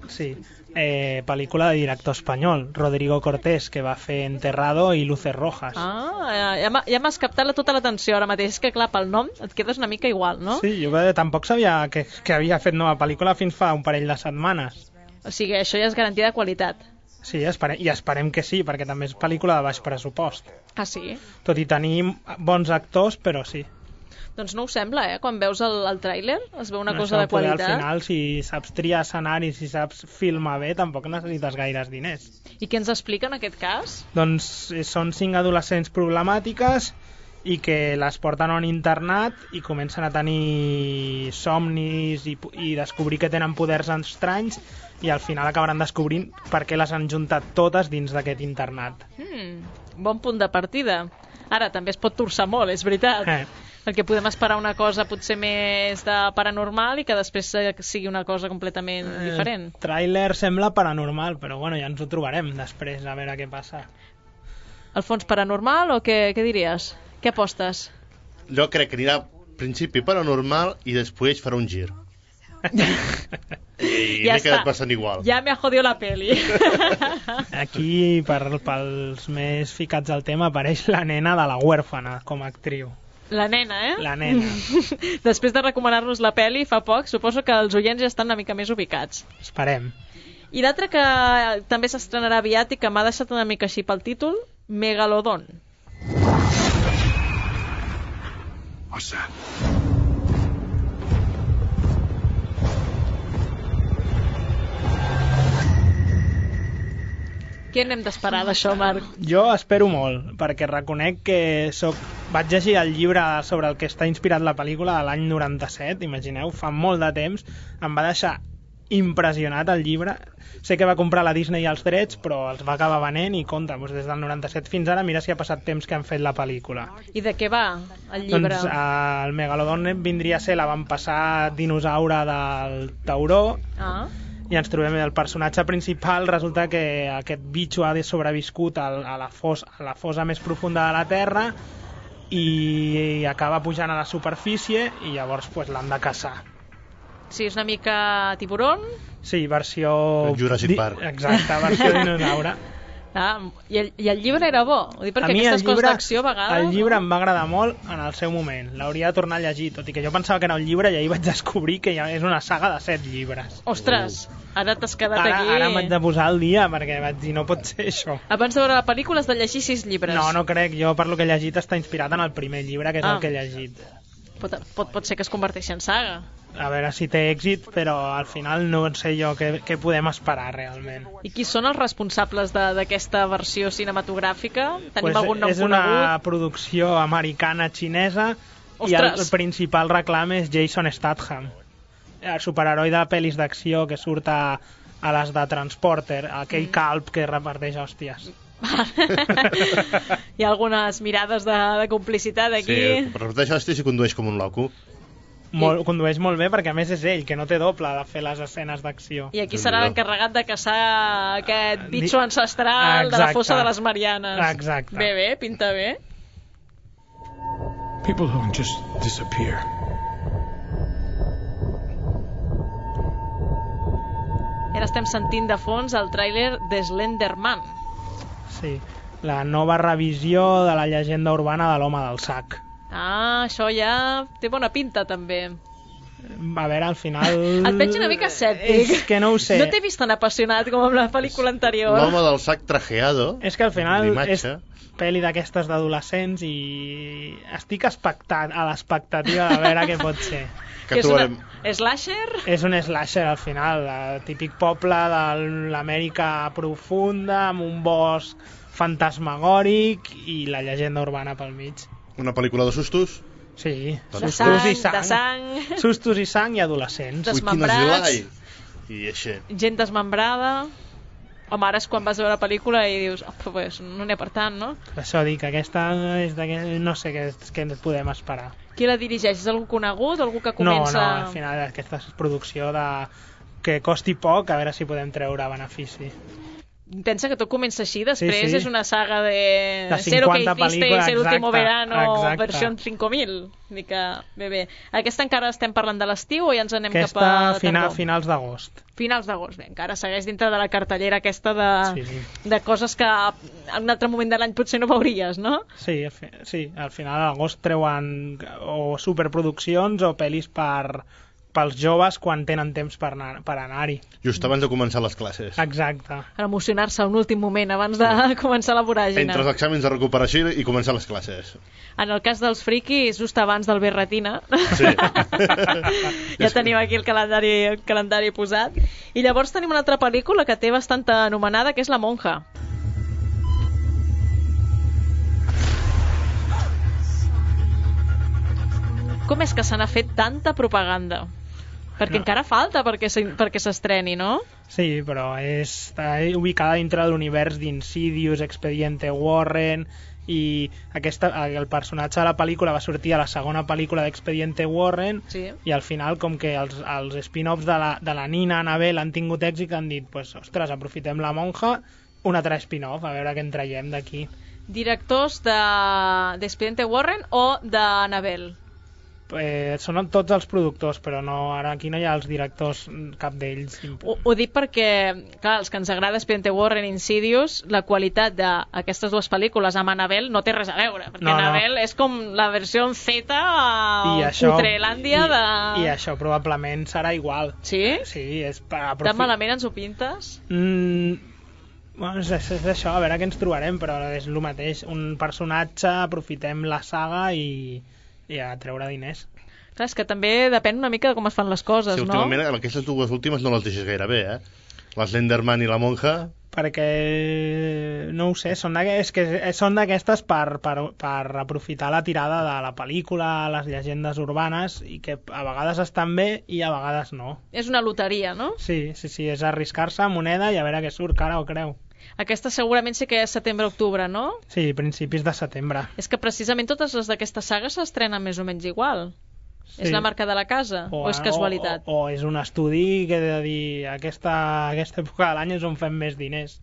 Sí, eh, pel·lícula de director espanyol, Rodrigo Cortés, que va fer Enterrado i Luces Rojas. Ah, ja m'ha- ja m'has captat la, tota l'atenció ara mateix. És que clar, pel nom et quedes una mica igual, no? Sí, jo eh, tampoc sabia que, que havia fet nova pel·lícula fins fa un parell de setmanes. O sigui, això ja és garantia de qualitat. Sí, esperem, i esperem que sí, perquè també és pel·lícula de baix pressupost. Ah, sí? Tot i tenir bons actors, però sí. Doncs no ho sembla, eh? Quan veus el, el tràiler es veu una No, cosa això de poder, qualitat. Al final, si saps triar escenaris, si saps filmar bé, tampoc necessites gaires diners. I què ens explica en aquest cas? Doncs eh, són cinc adolescents problemàtiques i que les porten a un internat i comencen a tenir somnis i, i descobrir que tenen poders estranys i al final acabaran descobrint per què les han juntat totes dins d'aquest internat. Hmm, bon punt de partida. Ara, també es pot torçar molt, és veritat. Eh. Perquè podem esperar una cosa potser més de paranormal i que després eh, sigui una cosa completament diferent. El tràiler sembla paranormal, però bueno, ja ens ho trobarem després, a veure què passa. El fons paranormal o què, què diries? Què apostes? Jo crec que anirà al principi paranormal i després farà un gir. I Ja m'he quedat està. bastant igual. Ja me ha jodido la peli. Aquí, per, pels més ficats al tema, apareix la nena de La huérfana com a actriu. La nena, eh? La nena. Després de recomanar-nos la peli fa poc, suposo que els oients ja estan una mica més ubicats. Esperem. I l'altre que també s'estrenarà aviat i que m'ha deixat una mica així pel títol, Megalodon. What's that? Què n'hem d'esperar d'això, Marc? Jo espero molt, perquè reconec que soc... vaig llegir el llibre sobre el que està inspirat la pel·lícula de l'any noranta-set, imagineu, fa molt de temps, em va deixar impressionat el llibre. Sé que va comprar la Disney els drets, però els va acabar venent i compte, doncs des del noranta-set fins ara, mira si ha passat temps que han fet la pel·lícula. I de què va el llibre? Doncs eh, el Megalodon vindria a ser l'avantpassat dinosaure del tauró, Ah. i ens trobem el personatge principal, resulta que aquest bitxo ha sobreviscut a la, fos, a la fosa més profunda de la Terra i acaba pujant a la superfície i llavors pues, l'han de caçar. Sí, és una mica tiburon. Sí, versió... Jurassic Park. Exacte, versió dinosaure. Ah, i, el, I el llibre era bo. Ho dic perquè A mi aquestes el coses llibre, d'acció a vegades... el llibre em va agradar molt en el seu moment. L'hauria de tornar a llegir, tot i que jo pensava que era un llibre i ahir vaig descobrir que ja és una saga de set llibres. Ostres, ara t'has quedat Ara, aquí... ara m'haig de posar al dia perquè vaig dir no pot ser això. Abans de veure la pel·lícula has de llegir sis llibres. No, no crec. Jo per lo que he llegit està inspirat en el primer llibre, que és Ah. el que he llegit. Pot, pot, pot ser que es converteixi en saga. A veure si té èxit, però al final no sé jo què, què podem esperar realment. I qui són els responsables de- d'aquesta versió cinematogràfica? Tenim Pues algun nom és una conegut? producció americana-xinesa i el, Ostres! el principal reclam és Jason Statham, el superheroi de pel·lis d'acció que surt a, a les de Transporter, aquell Mm. calp que reparteix hòsties. Hi ha algunes mirades de, de complicitat aquí. Sí, per repeteixo, hosti, si condueix com un loco. Molt, condueix molt bé perquè a més és ell, que no té doble de fer les escenes d'acció. I aquí serà l'encarregat de caçar aquest bitxo Di- ancestral de la Exacte. fossa de les Marianes. Exacte. Bé, bé, pinta bé. People don't just disappear. Ara estem sentint de fons el tràiler de Slenderman. Sí, la nova revisió de la llegenda urbana de l'home del sac. Ah, això ja té bona pinta, també. A veure, al final... Et veig una mica escèptic. És que no ho sé. No t'he vist tan apassionat com amb la pel·lícula anterior. L'home del sac trajeado. És que al final és pel·li d'aquestes d'adolescents i estic expectant, a l'expectativa de veure què pot ser. Que és trobarem... una slasher? És un slasher al final, el típic poble de l'Amèrica profunda, amb un bosc fantasmagòric i la llegenda urbana pel mig. Una pel·lícula de sustos? Sí, de sustos sang, i sang. de sang. Sustos i sang i adolescents. Desmembrats. I així. Gent desmembrada. Home, ara és quan vas veure la pel·lícula i dius, oh, pues, no n'hi ha per tant, no? Per això dic, aquesta és d'aquest... no sé què, què ens podem esperar. Qui la dirigeix? És algú conegut? Algú que comença... No, no, al final aquesta és producció de... que costi poc, a veure si podem treure benefici. Pensa que tot comença així, després sí, sí. és una saga de, de Zero que hiciste y el último exacte, verano exacte. versió cinc mil. Dic que, bé, bé. Aquesta encara estem parlant de l'estiu o ja ens anem aquesta cap a final, tardor? finals d'agost. Finals d'agost, bé, encara segueix dintre de la cartellera aquesta de, sí, sí. de coses que en un altre moment de l'any potser no veuries, no? Sí, sí, al final d'agost treuen o superproduccions o pel·lis per... pels joves quan tenen temps per anar, per anar-hi. Just abans de començar les classes. Exacte. Per emocionar-se un últim moment abans de sí. començar la voràgina. Entre els exàmens de recuperació i començar les classes. En el cas dels friquis, just abans del Berretina. Sí. Ja tenim aquí el calendari, el calendari posat. I llavors tenim una altra pel·lícula que té bastanta anomenada, que és La monja. Com és que se n'ha fet tanta propaganda? Perquè no. encara falta perquè s'estreni, no? Sí, però és, està ubicada dintre de l'univers d'Insidious, Expediente Warren, i aquesta, el personatge de la pel·lícula va sortir a la segona pel·lícula d'Expediente Warren, sí. i al final, com que els, els spin-offs de la, de la Nina Annabelle han tingut èxit, han dit, pues, ostres, aprofitem La monja, un altre spin-off, a veure què en traiem d'aquí. Directors d'Expediente de, Warren o d'Annabelle? Eh, són tots els productors, però no, ara aquí no hi ha els directors, cap d'ells. Ho, ho dic perquè, clar, els que ens agrada Expediente Warren i Insidious, la qualitat d'aquestes dues pel·lícules amb Annabelle no té res a veure, perquè no, Annabelle no. és com la versió en Z a Putrelàndia de... I, I això probablement serà igual. Sí? Sí, és per aprofitar. Tan malament ens ho pintes? Mm, bueno, és, és això, a veure què ens trobarem, però és el mateix. Un personatge, aprofitem la saga i... i a treure diners. Clar, és que també depèn una mica de com es fan les coses, sí, no? Últimament, aquestes dues últimes no les deixes gaire bé, eh? La Slenderman i la monja... Perquè, no ho sé, són d'aquestes per, per, per aprofitar la tirada de la pel·lícula, les llegendes urbanes, i que a vegades estan bé i a vegades no. És una loteria, no? Sí, sí, sí, és arriscar-se a moneda i a veure què surt, cara o creu. Aquesta segurament sí que és setembre-octubre, no? Sí, principis de setembre. És que precisament totes les d'aquesta saga s'estrenen més o menys igual. Sí. És la marca de la casa? O, o és casualitat? O, o, o és un estudi que he de dir aquesta, aquesta època de l'any és on fem més diners.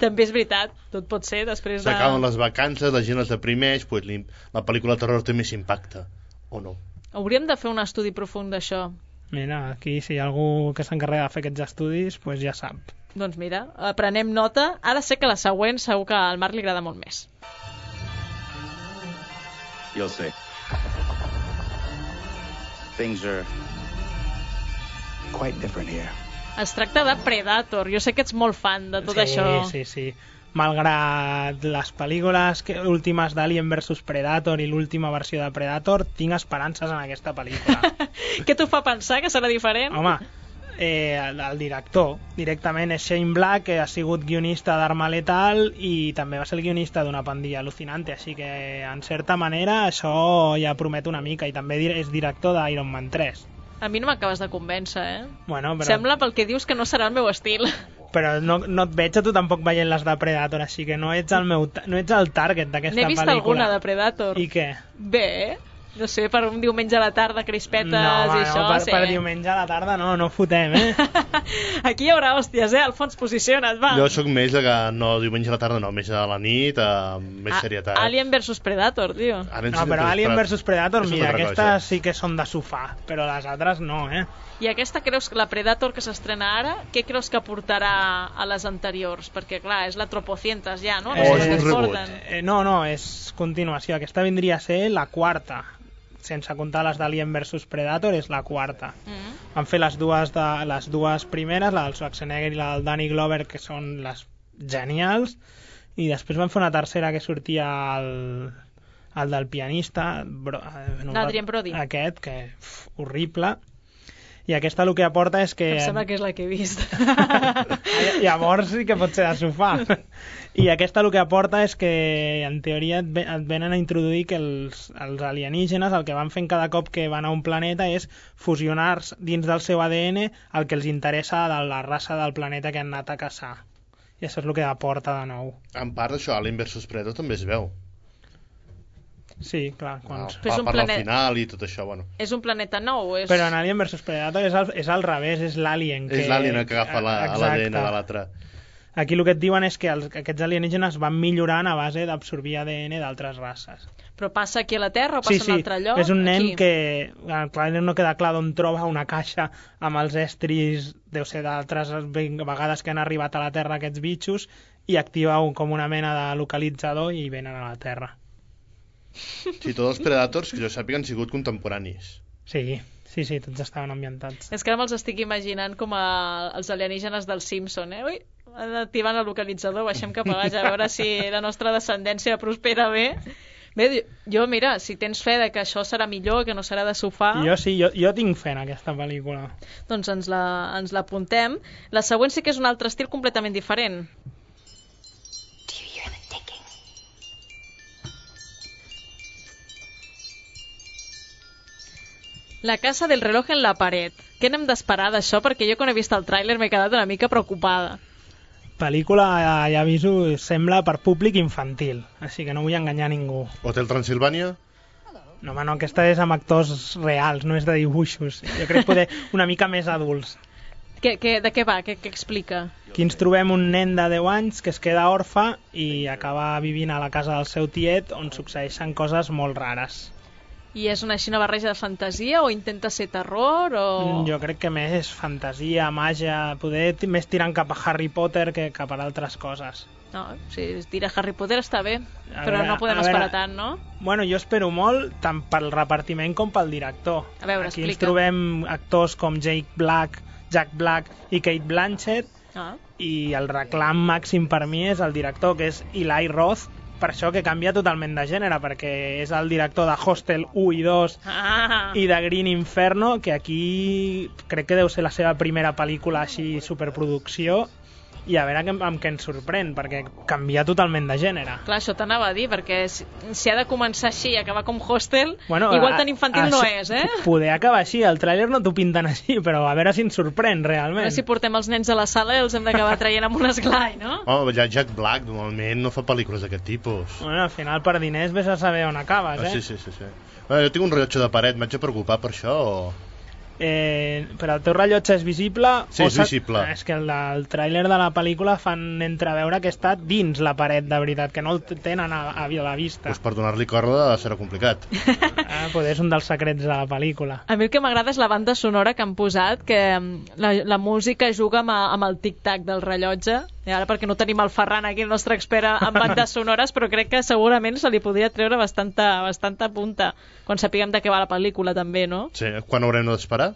També és veritat, tot pot ser després de... S'acaben les vacances, la gent es deprimeix, pues, la pel·lícula de terror té més impacte, o no? Hauríem de fer un estudi profund d'això. Mira, aquí si hi ha algú que s'encarrega de fer aquests estudis, pues ja sap. Doncs mira, prenem nota. Ara sé que la següent segur que al Marc li agrada molt més. You'll see. Things are quite different here. Es tracta de Predator. Jo sé que ets molt fan de tot sí, això. Sí, sí, sí. Malgrat les pel·lícules que, últimes d'Alien versus Predator i l'última versió de Predator, tinc esperances en aquesta pel·lícula. Què t'ho fa pensar, que serà diferent? Home, eh, el, el director directament és Shane Black, que ha sigut guionista d'Arma Letal i també va ser el guionista d'Una pandilla alucinante, així que en certa manera això ja promet una mica, i també és director d'Iron Man tres. A mi no m'acabes de convèncer, eh? Bueno, però... Sembla pel que dius que no serà el meu estil. Però no, no et veig a tu tampoc veient les de Predator, així que no ets el, meu, no ets el target d'aquesta pel·lícula. N'he vist alguna de Predator. I què? Bé, no sé, per un diumenge a la tarda, crispetes no, i no, això. Per, sí. per diumenge a la tarda no, no fotem, eh? Aquí hi haurà hòsties, eh? Alfons, posiciona't, va. Jo sóc més de que no diumenge a la tarda, no, més a la nit, amb més serietat. Alien versus Predator, tio. No, però Alien versus Predator, mira, aquestes sí que són de sofà, però les altres no, eh? I aquesta creus que la Predator que s'estrena ara, què creus que portarà a les anteriors? Perquè, clar, és la tropocientas ja, no? O és un reboot. Eh, no, no, és continuació. Aquesta vindria a ser la quarta. sense comptar les d'Alien versus Predator, és la quarta. Mm. Van fer les dues, de, les dues primeres, la del Schwarzenegger i la del Danny Glover, que són les genials, i després van fer una tercera que sortia el, el del pianista, bro, no, Adrien Brody. Aquest, que uf, horrible. I aquesta el que aporta és que... Em sembla que és la que he vist. Llavors sí que pot ser de sofà. I aquesta el que aporta és que en teoria et, et venen a introduir que els, els alienígenes el que van fent cada cop que van a un planeta és fusionar dins del seu A D N el que els interessa de la raça del planeta que han anat a caçar. I això és el que aporta de nou. En part d'això, Alien versus Predator també es veu. Sí, clar. Quan... No, per planet... al final i tot això, bueno. És un planeta nou? És... Però en Alien versus Predator és al, és al revés, és l'alien que... És l'alien que agafa l'A D N de l'altre. Aquí el que et diuen és que els, aquests alienígenes van millorant a base d'absorbir A D N d'altres races. Però passa aquí a la Terra o passa sí, sí. a un altre lloc? És un nen aquí? Que clar, no queda clar d'on troba una caixa amb els estris, deu ser d'altres vegades que han arribat a la Terra aquests bitxos, i activa un, com una mena de localitzador i venen a la Terra. Sí, tots els Predators que jo sàpiga han sigut contemporanis. Sí, sí, sí, tots estaven ambientats. És que ara me'ls estic imaginant com a els alienígenes del Simpson, eh? Ui, activant el localitzador, baixem cap a baix a veure si la nostra descendència prospera bé. Bé, jo, mira, si tens fe de que això serà millor, que no serà de sofà... Jo sí, jo, jo tinc fe en aquesta pel·lícula. Doncs ens la, ens l'apuntem. La següent sí que és un altre estil completament diferent. La casa del reloj en la paret. Què n'hem d'esperar d'això? Perquè jo quan he vist el tràiler m'he quedat una mica preocupada. Pel·lícula, ja aviso, sembla per públic infantil, així que no vull enganyar ningú. Hotel Transilvània? No, home, no, aquesta és amb actors reals, no és de dibuixos. Jo crec que poder una mica més adults. Que, que, de què va? Què, què explica? Aquí ens trobem un nen de deu anys que es queda orfe i acaba vivint a la casa del seu tiet, on succeeixen coses molt rares. I és una així una barreja de fantasia o intenta ser terror o... Jo crec que més fantasia, màgia, poder més tirant cap a Harry Potter que cap a altres coses. No, si tira Harry Potter està bé, a però veure, no podem esperar tant, no? Bueno, jo espero molt tant pel repartiment com pel director. A veure, Aquí explica. ens trobem actors com Jake Black, Jack Black i Kate Blanchett, ah. i el reclam màxim per mi és el director, que és Eli Roth, per això que canvia totalment de gènere, perquè és el director de Hostel u i dos ah. i de Green Inferno, que aquí crec que deu ser la seva primera pel·lícula així superproducció, i a veure amb, amb què ens sorprèn, perquè canvia totalment de gènere. Clar, això t'anava a dir, perquè si, si ha de començar així i acabar com Hostel, bueno, igual tan infantil a, a, no és, eh? Poder acabar així, el tràiler no t'ho pinten així, però a veure si ens sorprèn realment. A veure si portem els nens a la sala i els hem d'acabar traient amb un esglai, no? Oh, ja Jack Black normalment no fa pel·lícules d'aquest tipus. Bueno, al final per diners vés a saber on acabes, eh? Ah, sí, sí, sí, sí. Bueno, jo tinc un rellotge de paret, m'haig de preocupar per això o... Eh, però el teu rellotge és visible? Sí, és visible. És que el, el tràiler de la pel·lícula fan entreveure que està dins la paret, de veritat, que no el tenen a, a la vista. Pues per donar-li corda serà complicat. Ah, pues és un dels secrets de la pel·lícula. A mi el que m'agrada és la banda sonora que han posat, que la, la música juga amb, amb el tic-tac del rellotge, i ara perquè no tenim el Ferran aquí, el nostre expert en bandes sonores, però crec que segurament se li podria treure bastanta, bastanta punta quan sapiguem de què va la pel·lícula també, no? Sí, quan haurem d'esperar?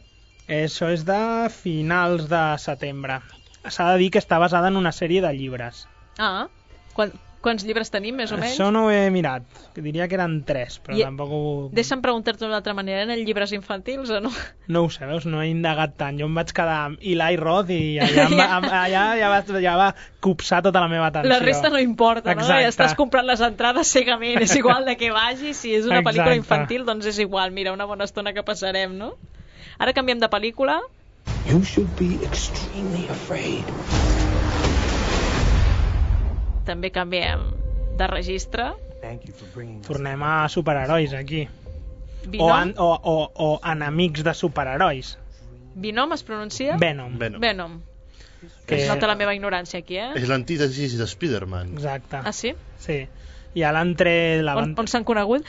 Això és de finals de setembre. S'ha de dir que està basada en una sèrie de llibres. Ah, quan, quants llibres tenim, més o menys? Això no ho he mirat, diria que eren tres, però I, tampoc ho... Deixa'm preguntar-te d'una altra manera, eren llibres infantils o no? No ho sé, veus, no he indagat tant. Jo em vaig quedar amb Eli Roth i allà, em, allà ja, va, ja va copsar tota la meva atenció. La resta no importa, no? Exacte. Ja estàs comprant les entrades cegament, és igual de què vagi, si és una Exacte. pel·lícula infantil, doncs és igual, mira, una bona estona que passarem, no? Ara canviem de pel·lícula. You should be extremely afraid. També canviem de registre. Tornem a superherois aquí. Venom? O, an, o, o, o enemics de superherois. Venom es pronuncia? Venom. Venom. Venom. Que... Es nota la meva ignorància aquí, eh? És l'antítesis de Spider-Man. Exacte. Ah, sí? Sí. I a l'entre... La on on s'han conegut?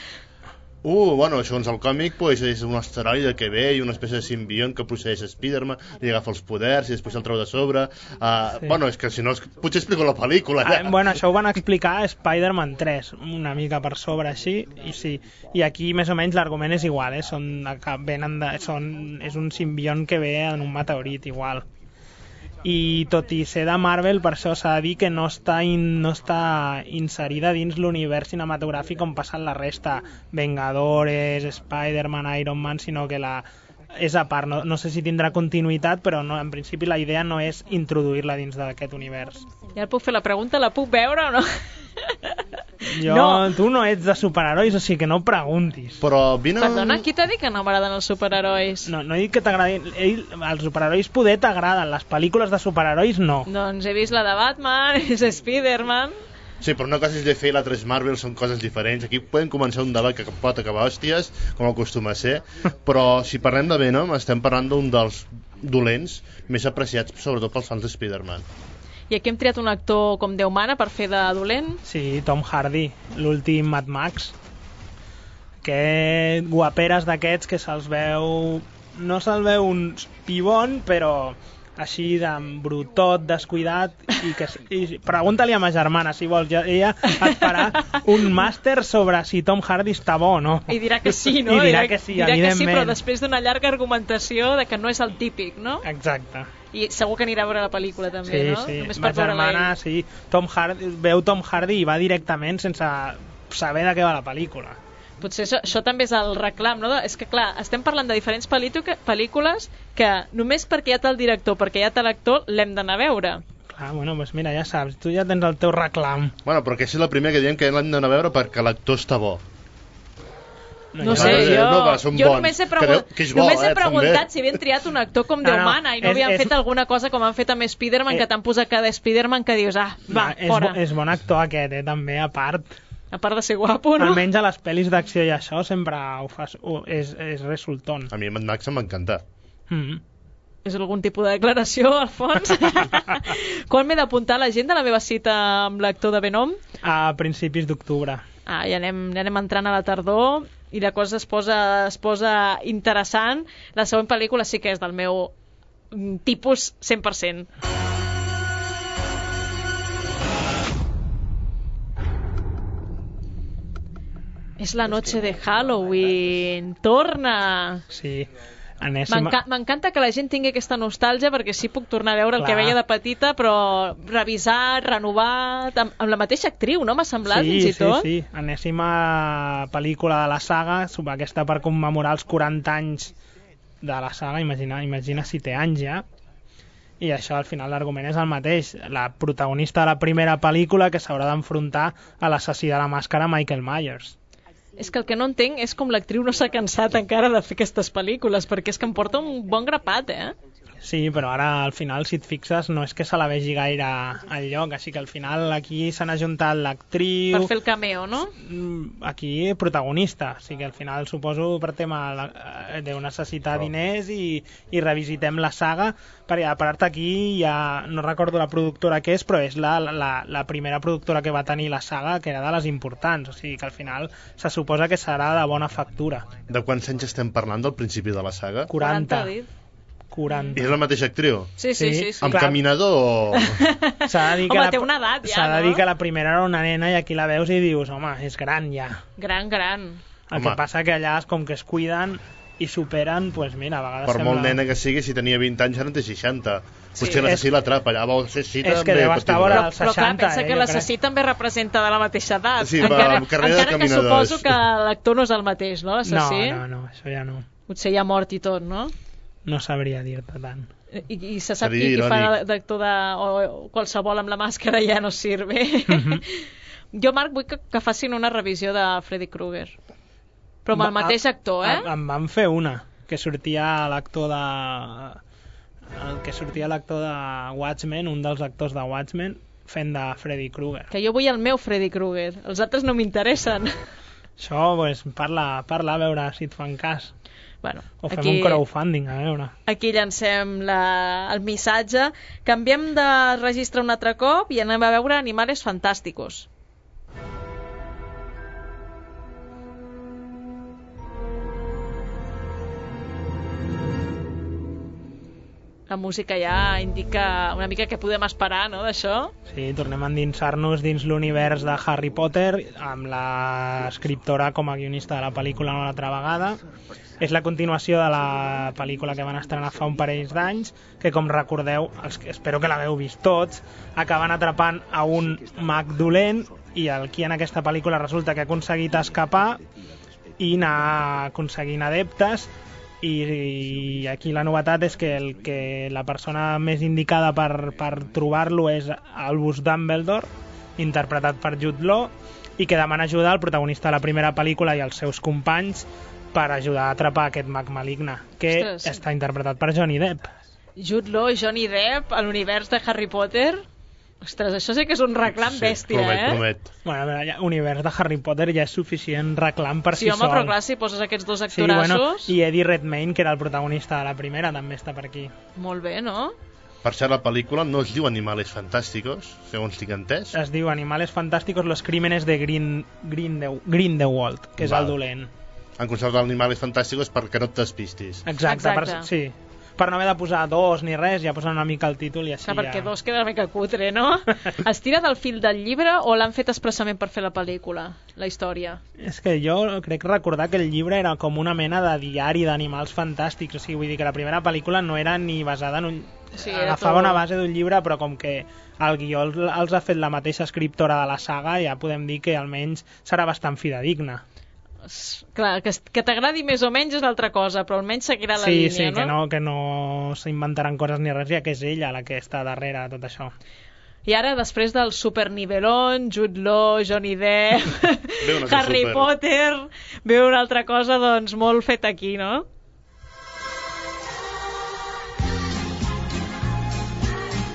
Uh, bueno, segons el còmic, pues, és un asteroide que ve i una espècie de simbiont que procedeix a Spider-Man, li agafa els poders i després el treu de sobre. Uh, sí. Bueno, és que si no, potser explico la pel·lícula. Ja. Ah, bueno, això ho van explicar a Spider-Man tres, una mica per sobre així, i sí. I aquí més o menys l'argument és igual, eh? Són, venen de, són, és un simbiont que ve en un meteorit igual. I tot i ser de Marvel, per això s'ha de dir que no està, in, no està inserida dins l'univers cinematogràfic com passa en la resta, Vengadores, Spider-Man, Iron Man, sinó que la, és a part. No, no sé si tindrà continuïtat, però no, en principi la idea no és introduir-la dins d'aquest univers. Ja et puc fer la pregunta, la puc veure o no? Jo, no. Tu no ets de superherois, o sigui que no preguntis. Però vine... Perdona, qui t'ha dit que no m'agraden els superherois? No, no he dit que t'agradin... Els superherois poder t'agraden, les pel·lícules de superherois no. Doncs he vist la de Batman, és Spider-Man... Sí, però una cosa és D C i l'altra és Marvel, són coses diferents. Aquí podem començar un debat que pot acabar hòsties, com acostuma a ser, però si parlem de Venom, estem parlant d'un dels dolents més apreciats, sobretot pels fans de Spider-Man. I aquí hem triat un actor com Déu mana per fer de dolent? Sí, Tom Hardy, l'últim Mad Max. Que guaperes d'aquests que se'ls veu... No se'l veu un pibon, però així d'embrutot, descuidat, i que i pregunta-li a ma germana, si vols, ella et farà un màster sobre si Tom Hardy està bo o no. I dirà que sí, no? I dirà que sí, dirà evidentment. Que sí, però després d'una llarga argumentació de que no és el típic, no? Exacte. I segur que anirà a veure la pel·lícula també, sí, no? Sí, sí. Ma germana, sí. Tom Hardy, veu Tom Hardy i va directament sense saber de què va la pel·lícula. Potser això, això també és el reclam, no? És que, clar, estem parlant de diferents pel·lícules que només perquè hi ha tal director, perquè hi ha tal actor, l'hem d'anar a veure. Clar, bueno, doncs mira, ja saps, tu ja tens el teu reclam. Bueno, però que és la primera que diem que l'hem d'anar a veure perquè l'actor està bo. No, no sé, jo, no, va, jo només he, pregun que bo, només he eh, preguntat també. si havien triat un actor com Déu no, no, mana i no és, havien és... fet alguna cosa com han fet amb Spider-Man, eh, que t'han posat cada Spider-Man que dius, ah, va, no, fora. És, bo, és bon actor aquest, eh, també, a part. A part de ser guapo, no? Almenys a les pel·lis d'acció i això sempre ho fas, ho, és, és resultant. A mi Mad Max em va encantar. Mm -hmm. És algun tipus de declaració, Alfons? Quan m'he d'apuntar a l'agenda la meva cita amb l'actor de Venom? A principis d'octubre. Ah, ja anem, ja anem entrant a la tardor i la cosa es posa, es posa interessant. La següent pel·lícula sí que és del meu tipus cent per cent. És la noche de Halloween. Torna! Sí. Anéssim... M'encanta que la gent tingui aquesta nostàlgia perquè sí puc tornar a veure el Clar. que veia de petita, però revisar, renovar amb, amb la mateixa actriu, no? M'ha semblat, sí, fins i tot. Sí, sí, enèsima pel·lícula de la saga, aquesta per commemorar els quaranta anys de la saga, imagina, imagina si té anys ja, i això al final l'argument és el mateix, la protagonista de la primera pel·lícula que s'haurà d'enfrontar a l'assassí de la màscara Michael Myers. És que el que no entenc és com l'actriu no s'ha cansat encara de fer aquestes pel·lícules, perquè és que em porta un bon grapat, eh? Sí, però ara al final, si et fixes, no és que se la vegi gaire al lloc, així que al final aquí s'han ajuntat l'actriu... Per fer el cameo, no? Aquí protagonista, o sigui que al final suposo per tema de necessitar oh. diners i, i revisitem la saga, perquè a part aquí ja no recordo la productora que és, però és la, la, la primera productora que va tenir la saga, que era de les importants, o sigui que al final se suposa que serà de bona factura. De quants anys estem parlant del principi de la saga? quaranta. quaranta. I és la mateixa actriu? Sí, sí, sí. sí. Amb caminador o...? S'ha de dir que home, la, té una edat ja, s'ha de no? dir que la primera era una nena i aquí la veus i dius, home, és gran ja. Gran, gran. El home. que passa que allà, com que es cuiden i superen, doncs pues mira, a vegades per sembla... molt nena que sigui, si tenia vint anys ara en té seixanta. Sí. Potser l'assassí l'atrapa, allà vol ser cita... És que deu estar vora als seixanta, però clar, pensa eh, que l'assassí també representa de la mateixa edat. Sí, encara, amb carrera encara de que suposo que l'actor no és el mateix, no, l'assassí? No, no, no, això ja no. Potser ja mort i tot, no? No sabria dir-te tant. I, i se sap qui, qui fa d'actor de... o qualsevol amb la màscara ja no sirve. Mm-hmm. Jo, Marc, vull que, que facin una revisió de Freddy Krueger. Però amb el mateix actor, eh? Em van fer una, que sortia l'actor de... el que sortia l'actor de Watchmen, un dels actors de Watchmen, fent de Freddy Krueger. Que jo vull el meu Freddy Krueger. Els altres no m'interessen. Això, pues, parla, parla a veure si et fan cas. Bueno, o fem aquí, un crowdfunding, a veure. Aquí llancem la, el missatge. Canviem de registre un altre cop i anem a veure Animales Fantásticos. La música ja indica una mica què podem esperar, no?, d'això. Sí, tornem a endinsar-nos dins l'univers de Harry Potter, amb l'escriptora com a guionista de la pel·lícula una altra vegada. És la continuació de la pel·lícula que van estrenar fa un parell d'anys, que, com recordeu, els, espero que l'hagueu vist tots, acaben atrapant a un mag dolent, i aquí en aquesta pel·lícula resulta que ha aconseguit escapar i anar aconseguint adeptes, i, i aquí la novetat és que, el, que la persona més indicada per, per trobar-lo és Albus Dumbledore, interpretat per Jude Law, i que demana ajuda al protagonista de la primera pel·lícula i als seus companys per ajudar a atrapar aquest mag maligne, que Ostres. està interpretat per Johnny Depp. Jude Law i Johnny Depp a l'univers de Harry Potter. Ostres, això sí que és un reclam sí, bèstia, promet, eh? Promet. Bueno, a veure, ja, univers de Harry Potter ja és suficient reclam per sí, si home, sol. Sí, home, però clar, si poses aquests dos actorassos... Sí, bueno, i Eddie Redmayne, que era el protagonista de la primera, també està per aquí. Molt bé, no? Per cert, la pel·lícula no es diu Animales Fantásticos, segons tinc entès. Es diu Animales Fantásticos, los crímenes de Green, Green de, Grindelwald, que és Val. el dolent. Han conservat Animales Fantásticos perquè no et despistis. Exacte, Exacte. Per, sí. Per no haver de posar dos ni res, ja posen una mica el títol i així Clar, perquè ja... dos queda una mica cutre, no? Es tira del fil del llibre o l'han fet expressament per fer la pel·lícula, la història? És que jo crec recordar que el llibre era com una mena de diari d'animals fantàstics, o sigui, vull dir que la primera pel·lícula no era ni basada en un... Sí, agafava tot... una base d'un llibre, però com que el guió els ha fet la mateixa escriptora de la saga, ja podem dir que almenys serà bastant fidedigna. Clar, que, que t'agradi més o menys és l'altra cosa, però almenys seguirà la sí, línia, sí, no? que no, que no s'inventaran coses ni res, ja que és ella la que està darrere de tot això. I ara, després del supernivelón, Jude Law, Johnny Depp, Harry super. Potter, veu una altra cosa, doncs, molt feta aquí, no?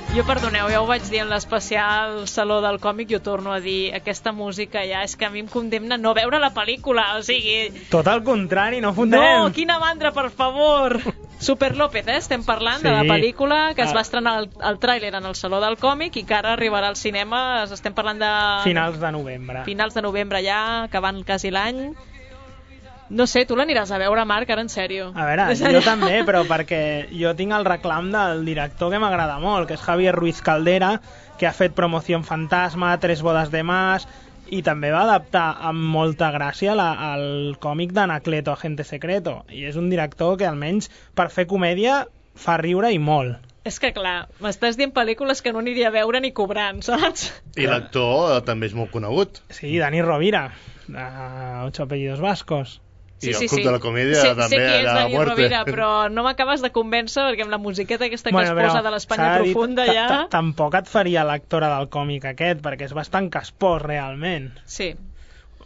Jo, perdoneu, ja ho vaig dir en l'especial Saló del Còmic, jo torno a dir, aquesta música ja és que a mi em condemna no veure la pel·lícula, o sigui... Tot al contrari, no fotem! No, quina mandra, per favor! Super López, eh? Estem parlant sí. de la pel·lícula que es va estrenar el, el tràiler en el Saló del Còmic i que ara arribarà al cinema, estem parlant de... Finals de novembre. Finals de novembre ja, acabant quasi l'any. No sé, tu l'aniràs a veure, Marc, ara en sèrio. A veure, jo també, però perquè jo tinc el reclam del director que m'agrada molt, que és Javier Ruiz Caldera, que ha fet Promoción Fantasma, Tres bodas de más, i també va adaptar amb molta gràcia la, el còmic d'Anacleto, Agente Secreto. I és un director que almenys per fer comèdia fa riure i molt. És que clar, m'estàs dient pel·lícules que no aniria a veure ni cobrant, saps? I l'actor eh, també és molt conegut. Sí, Dani Rovira, de Ocho apellidos vascos. I sí, el sí, Club sí. de la Comèdia sé, també sé qui és a Dani muerte. Rovira, però no m'acabes de convèncer perquè amb la musiqueta aquesta que bueno, es posa de l'Espanya profunda ja... Tampoc et faria l'actora del còmic aquest, perquè és bastant caspós realment. Sí.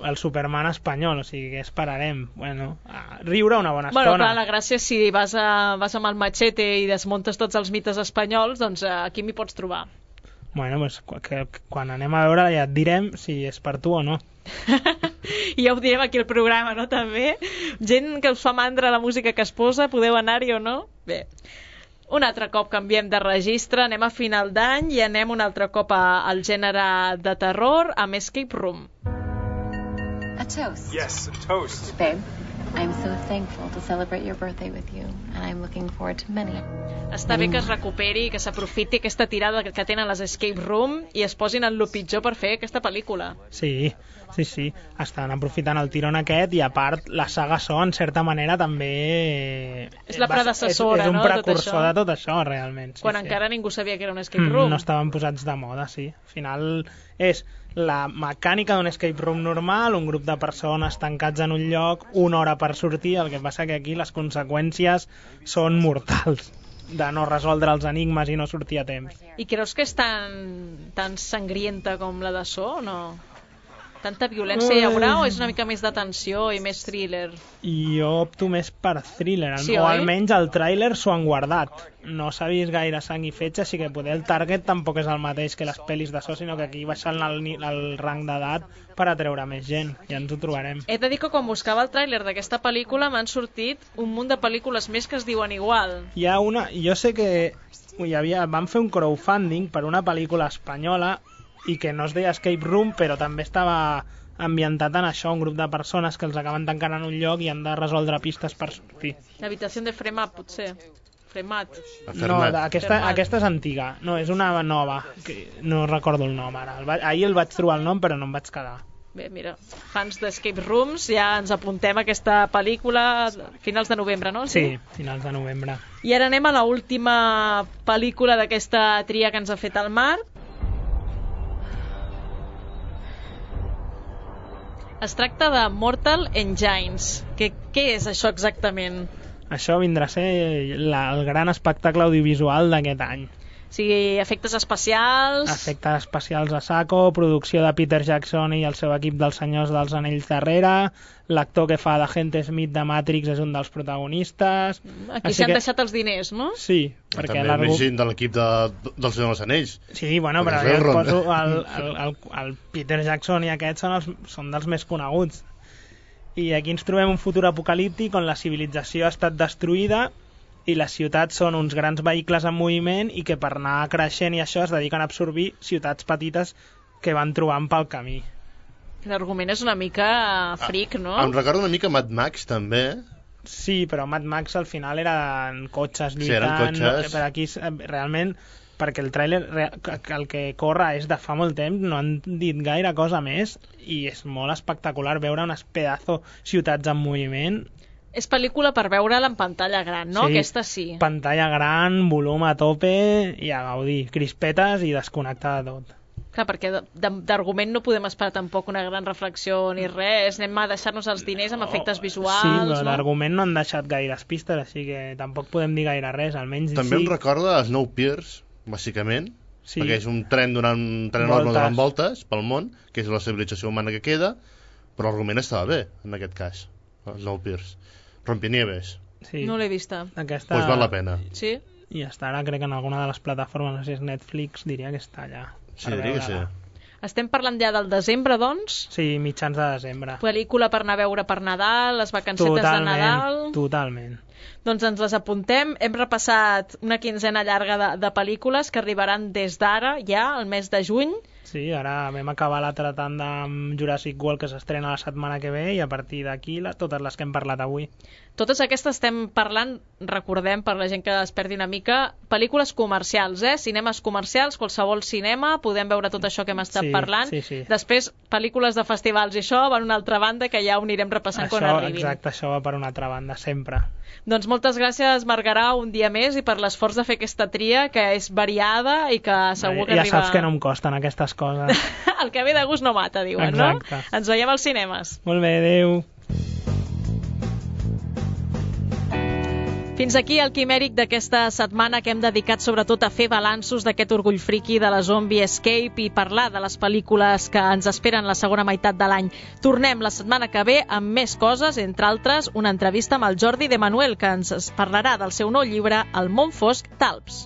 El Superman espanyol, o sigui que esperarem. Bueno, a riure una bona bueno, estona. Clar, la gràcia és si vas, a, vas amb el machete i desmuntes tots els mites espanyols, doncs aquí m'hi pots trobar. Bueno, doncs que, que, quan anem a veure ja et direm si és per tu o no. I ja ho direm aquí al programa, no? També gent que us fa mandra la música que es posa, podeu anar-hi o no? Bé, un altre cop canviem de registre, anem a final d'any i anem un altre cop a, al gènere de terror amb Escape Room. A toast. Yes, a toast. Babe, I'm so thankful to celebrate your birthday with you, and I'm looking forward to many. Està bé que es recuperi, que s'aprofiti aquesta tirada que tenen les Escape Room i es posin en lo pitjor per fer aquesta pel·lícula. Sí, sí, sí. Estan aprofitant el tirón aquest i a part la saga Saw en certa manera també... És la predecessora, no? És un no, precursor tot de tot això, realment. Sí, Quan sí. encara ningú sabia que era un Escape Room. Mm, no estaven posats de moda, sí. Al final és la mecànica d'un escape room normal, un grup de persones tancats en un lloc, una hora per sortir, el que passa que aquí les conseqüències són mortals de no resoldre els enigmes i no sortir a temps. I creus que és tan, tan sangrienta com la de So, o no? Tanta violència hi haurà o és una mica més de tensió i més thriller? I jo opto més per thriller, sí, o oi? almenys el tràiler s'ho han guardat. No s'ha vist gaire sang i fetge, així que poder el target tampoc és el mateix que les pel·lis de So, sinó que aquí baixant el, el rang d'edat per atreure més gent, ja ens ho trobarem. He de dir que quan buscava el tràiler d'aquesta pel·lícula m'han sortit un munt de pel·lícules més que es diuen igual. Hi ha una, jo sé que hi havia, van fer un crowdfunding per una pel·lícula espanyola i que no es deia Escape Room, però també estava ambientat en això, un grup de persones que els acaben tancant en un lloc i han de resoldre pistes per sortir. L'habitació de Fremà, potser. Fermat. No, aquesta, aquesta és antiga. No, és una nova. Que no recordo el nom ara. El va... Ahir el vaig trobar el nom, però no em vaig quedar. Bé, mira, fans d'Escape Rooms, ja ens apuntem a aquesta pel·lícula finals de novembre, no? Sí, finals de novembre. I ara anem a l'última pel·lícula d'aquesta tria que ens ha fet el Marc. Es tracta de Mortal Engines. Que, què és això exactament? Això vindrà a ser la, el gran espectacle audiovisual d'aquest any. O sigui, efectes especials... Efectes especials a saco, producció de Peter Jackson i el seu equip dels Senyors dels Anells darrere, l'actor que fa d'Agent Smith de Matrix és un dels protagonistes... Aquí s'han que... deixat els diners, no? Sí, perquè... També l'argu... més gent de l'equip de, dels Senyors dels Anells. Sí, bueno, però jo et poso el, el, el, el Peter Jackson i aquests són, els, són dels més coneguts. I aquí ens trobem un futur apocalíptic on la civilització ha estat destruïda i les ciutats són uns grans vehicles en moviment i que per anar creixent i això es dediquen a absorbir ciutats petites que van trobant pel camí. L'argument és una mica fric, no? Ah, em recorda una mica Mad Max, també. Sí, però Mad Max al final eren cotxes lluitant. Sí, eren cotxes. No, per aquí, realment, perquè el tràiler, el que corre és de fa molt temps, no han dit gaire cosa més i és molt espectacular veure unes pedazo ciutats en moviment. És pel·lícula per veure-la en pantalla gran, no? Sí, aquesta sí. Pantalla gran, volum a tope i a gaudir, crispetes i desconnectar de tot. Clar, perquè d'argument no podem esperar tampoc una gran reflexió ni res, anem a deixar-nos els diners amb efectes visuals... Sí, però no? l'argument no han deixat gaires pistes, així que tampoc podem dir gaire res, almenys... També sí. em recorda Snowpiercer, bàsicament, sí. perquè és un tren donant un tren enorme donant voltes pel món, que és la civilització humana que queda, però l'argument estava bé, en aquest cas, Snowpiercer. Rompinieves. Sí. No l'he vista. Aquesta... Pues val la pena. Sí? I està ara, crec que en alguna de les plataformes, no sé si és Netflix, diria que està allà. Sí, diria que sí. Estem parlant ja del desembre, doncs? Sí, mitjans de desembre. Pel·lícula per anar a veure per Nadal, les vacancetes totalment, de Nadal... Totalment. Doncs ens les apuntem. Hem repassat una quinzena llarga de, de pel·lícules que arribaran des d'ara, ja, al mes de juny. Sí, ara vam acabar l'altra tanda amb Jurassic World, que s'estrena la setmana que ve, i a partir d'aquí totes les que hem parlat avui. Totes aquestes estem parlant, recordem, per la gent que es perdi una mica, pel·lícules comercials, eh? Cinemes comercials, qualsevol cinema, podem veure tot això que hem estat sí, parlant. Sí, sí. Després, pel·lícules de festivals i això van a una altra banda, que ja ho anirem repassant això, quan arribin. Exacte, això va per una altra banda, sempre. Doncs moltes gràcies, Margarà, un dia més, i per l'esforç de fer aquesta tria, que és variada i que segur que ja arriba... Ja saps que no em costen aquestes coses. El que ve de gust no mata, diuen, exacte. No? Ens veiem als cinemes. Molt bé, adéu. Fins aquí el quimèric d'aquesta setmana que hem dedicat sobretot a fer balanços d'aquest orgull friqui de la Zombie Escape i parlar de les pel·lícules que ens esperen la segona meitat de l'any. Tornem la setmana que ve amb més coses, entre altres una entrevista amb el Jordi de Manuel, que ens parlarà del seu nou llibre El món fosc d'Alps.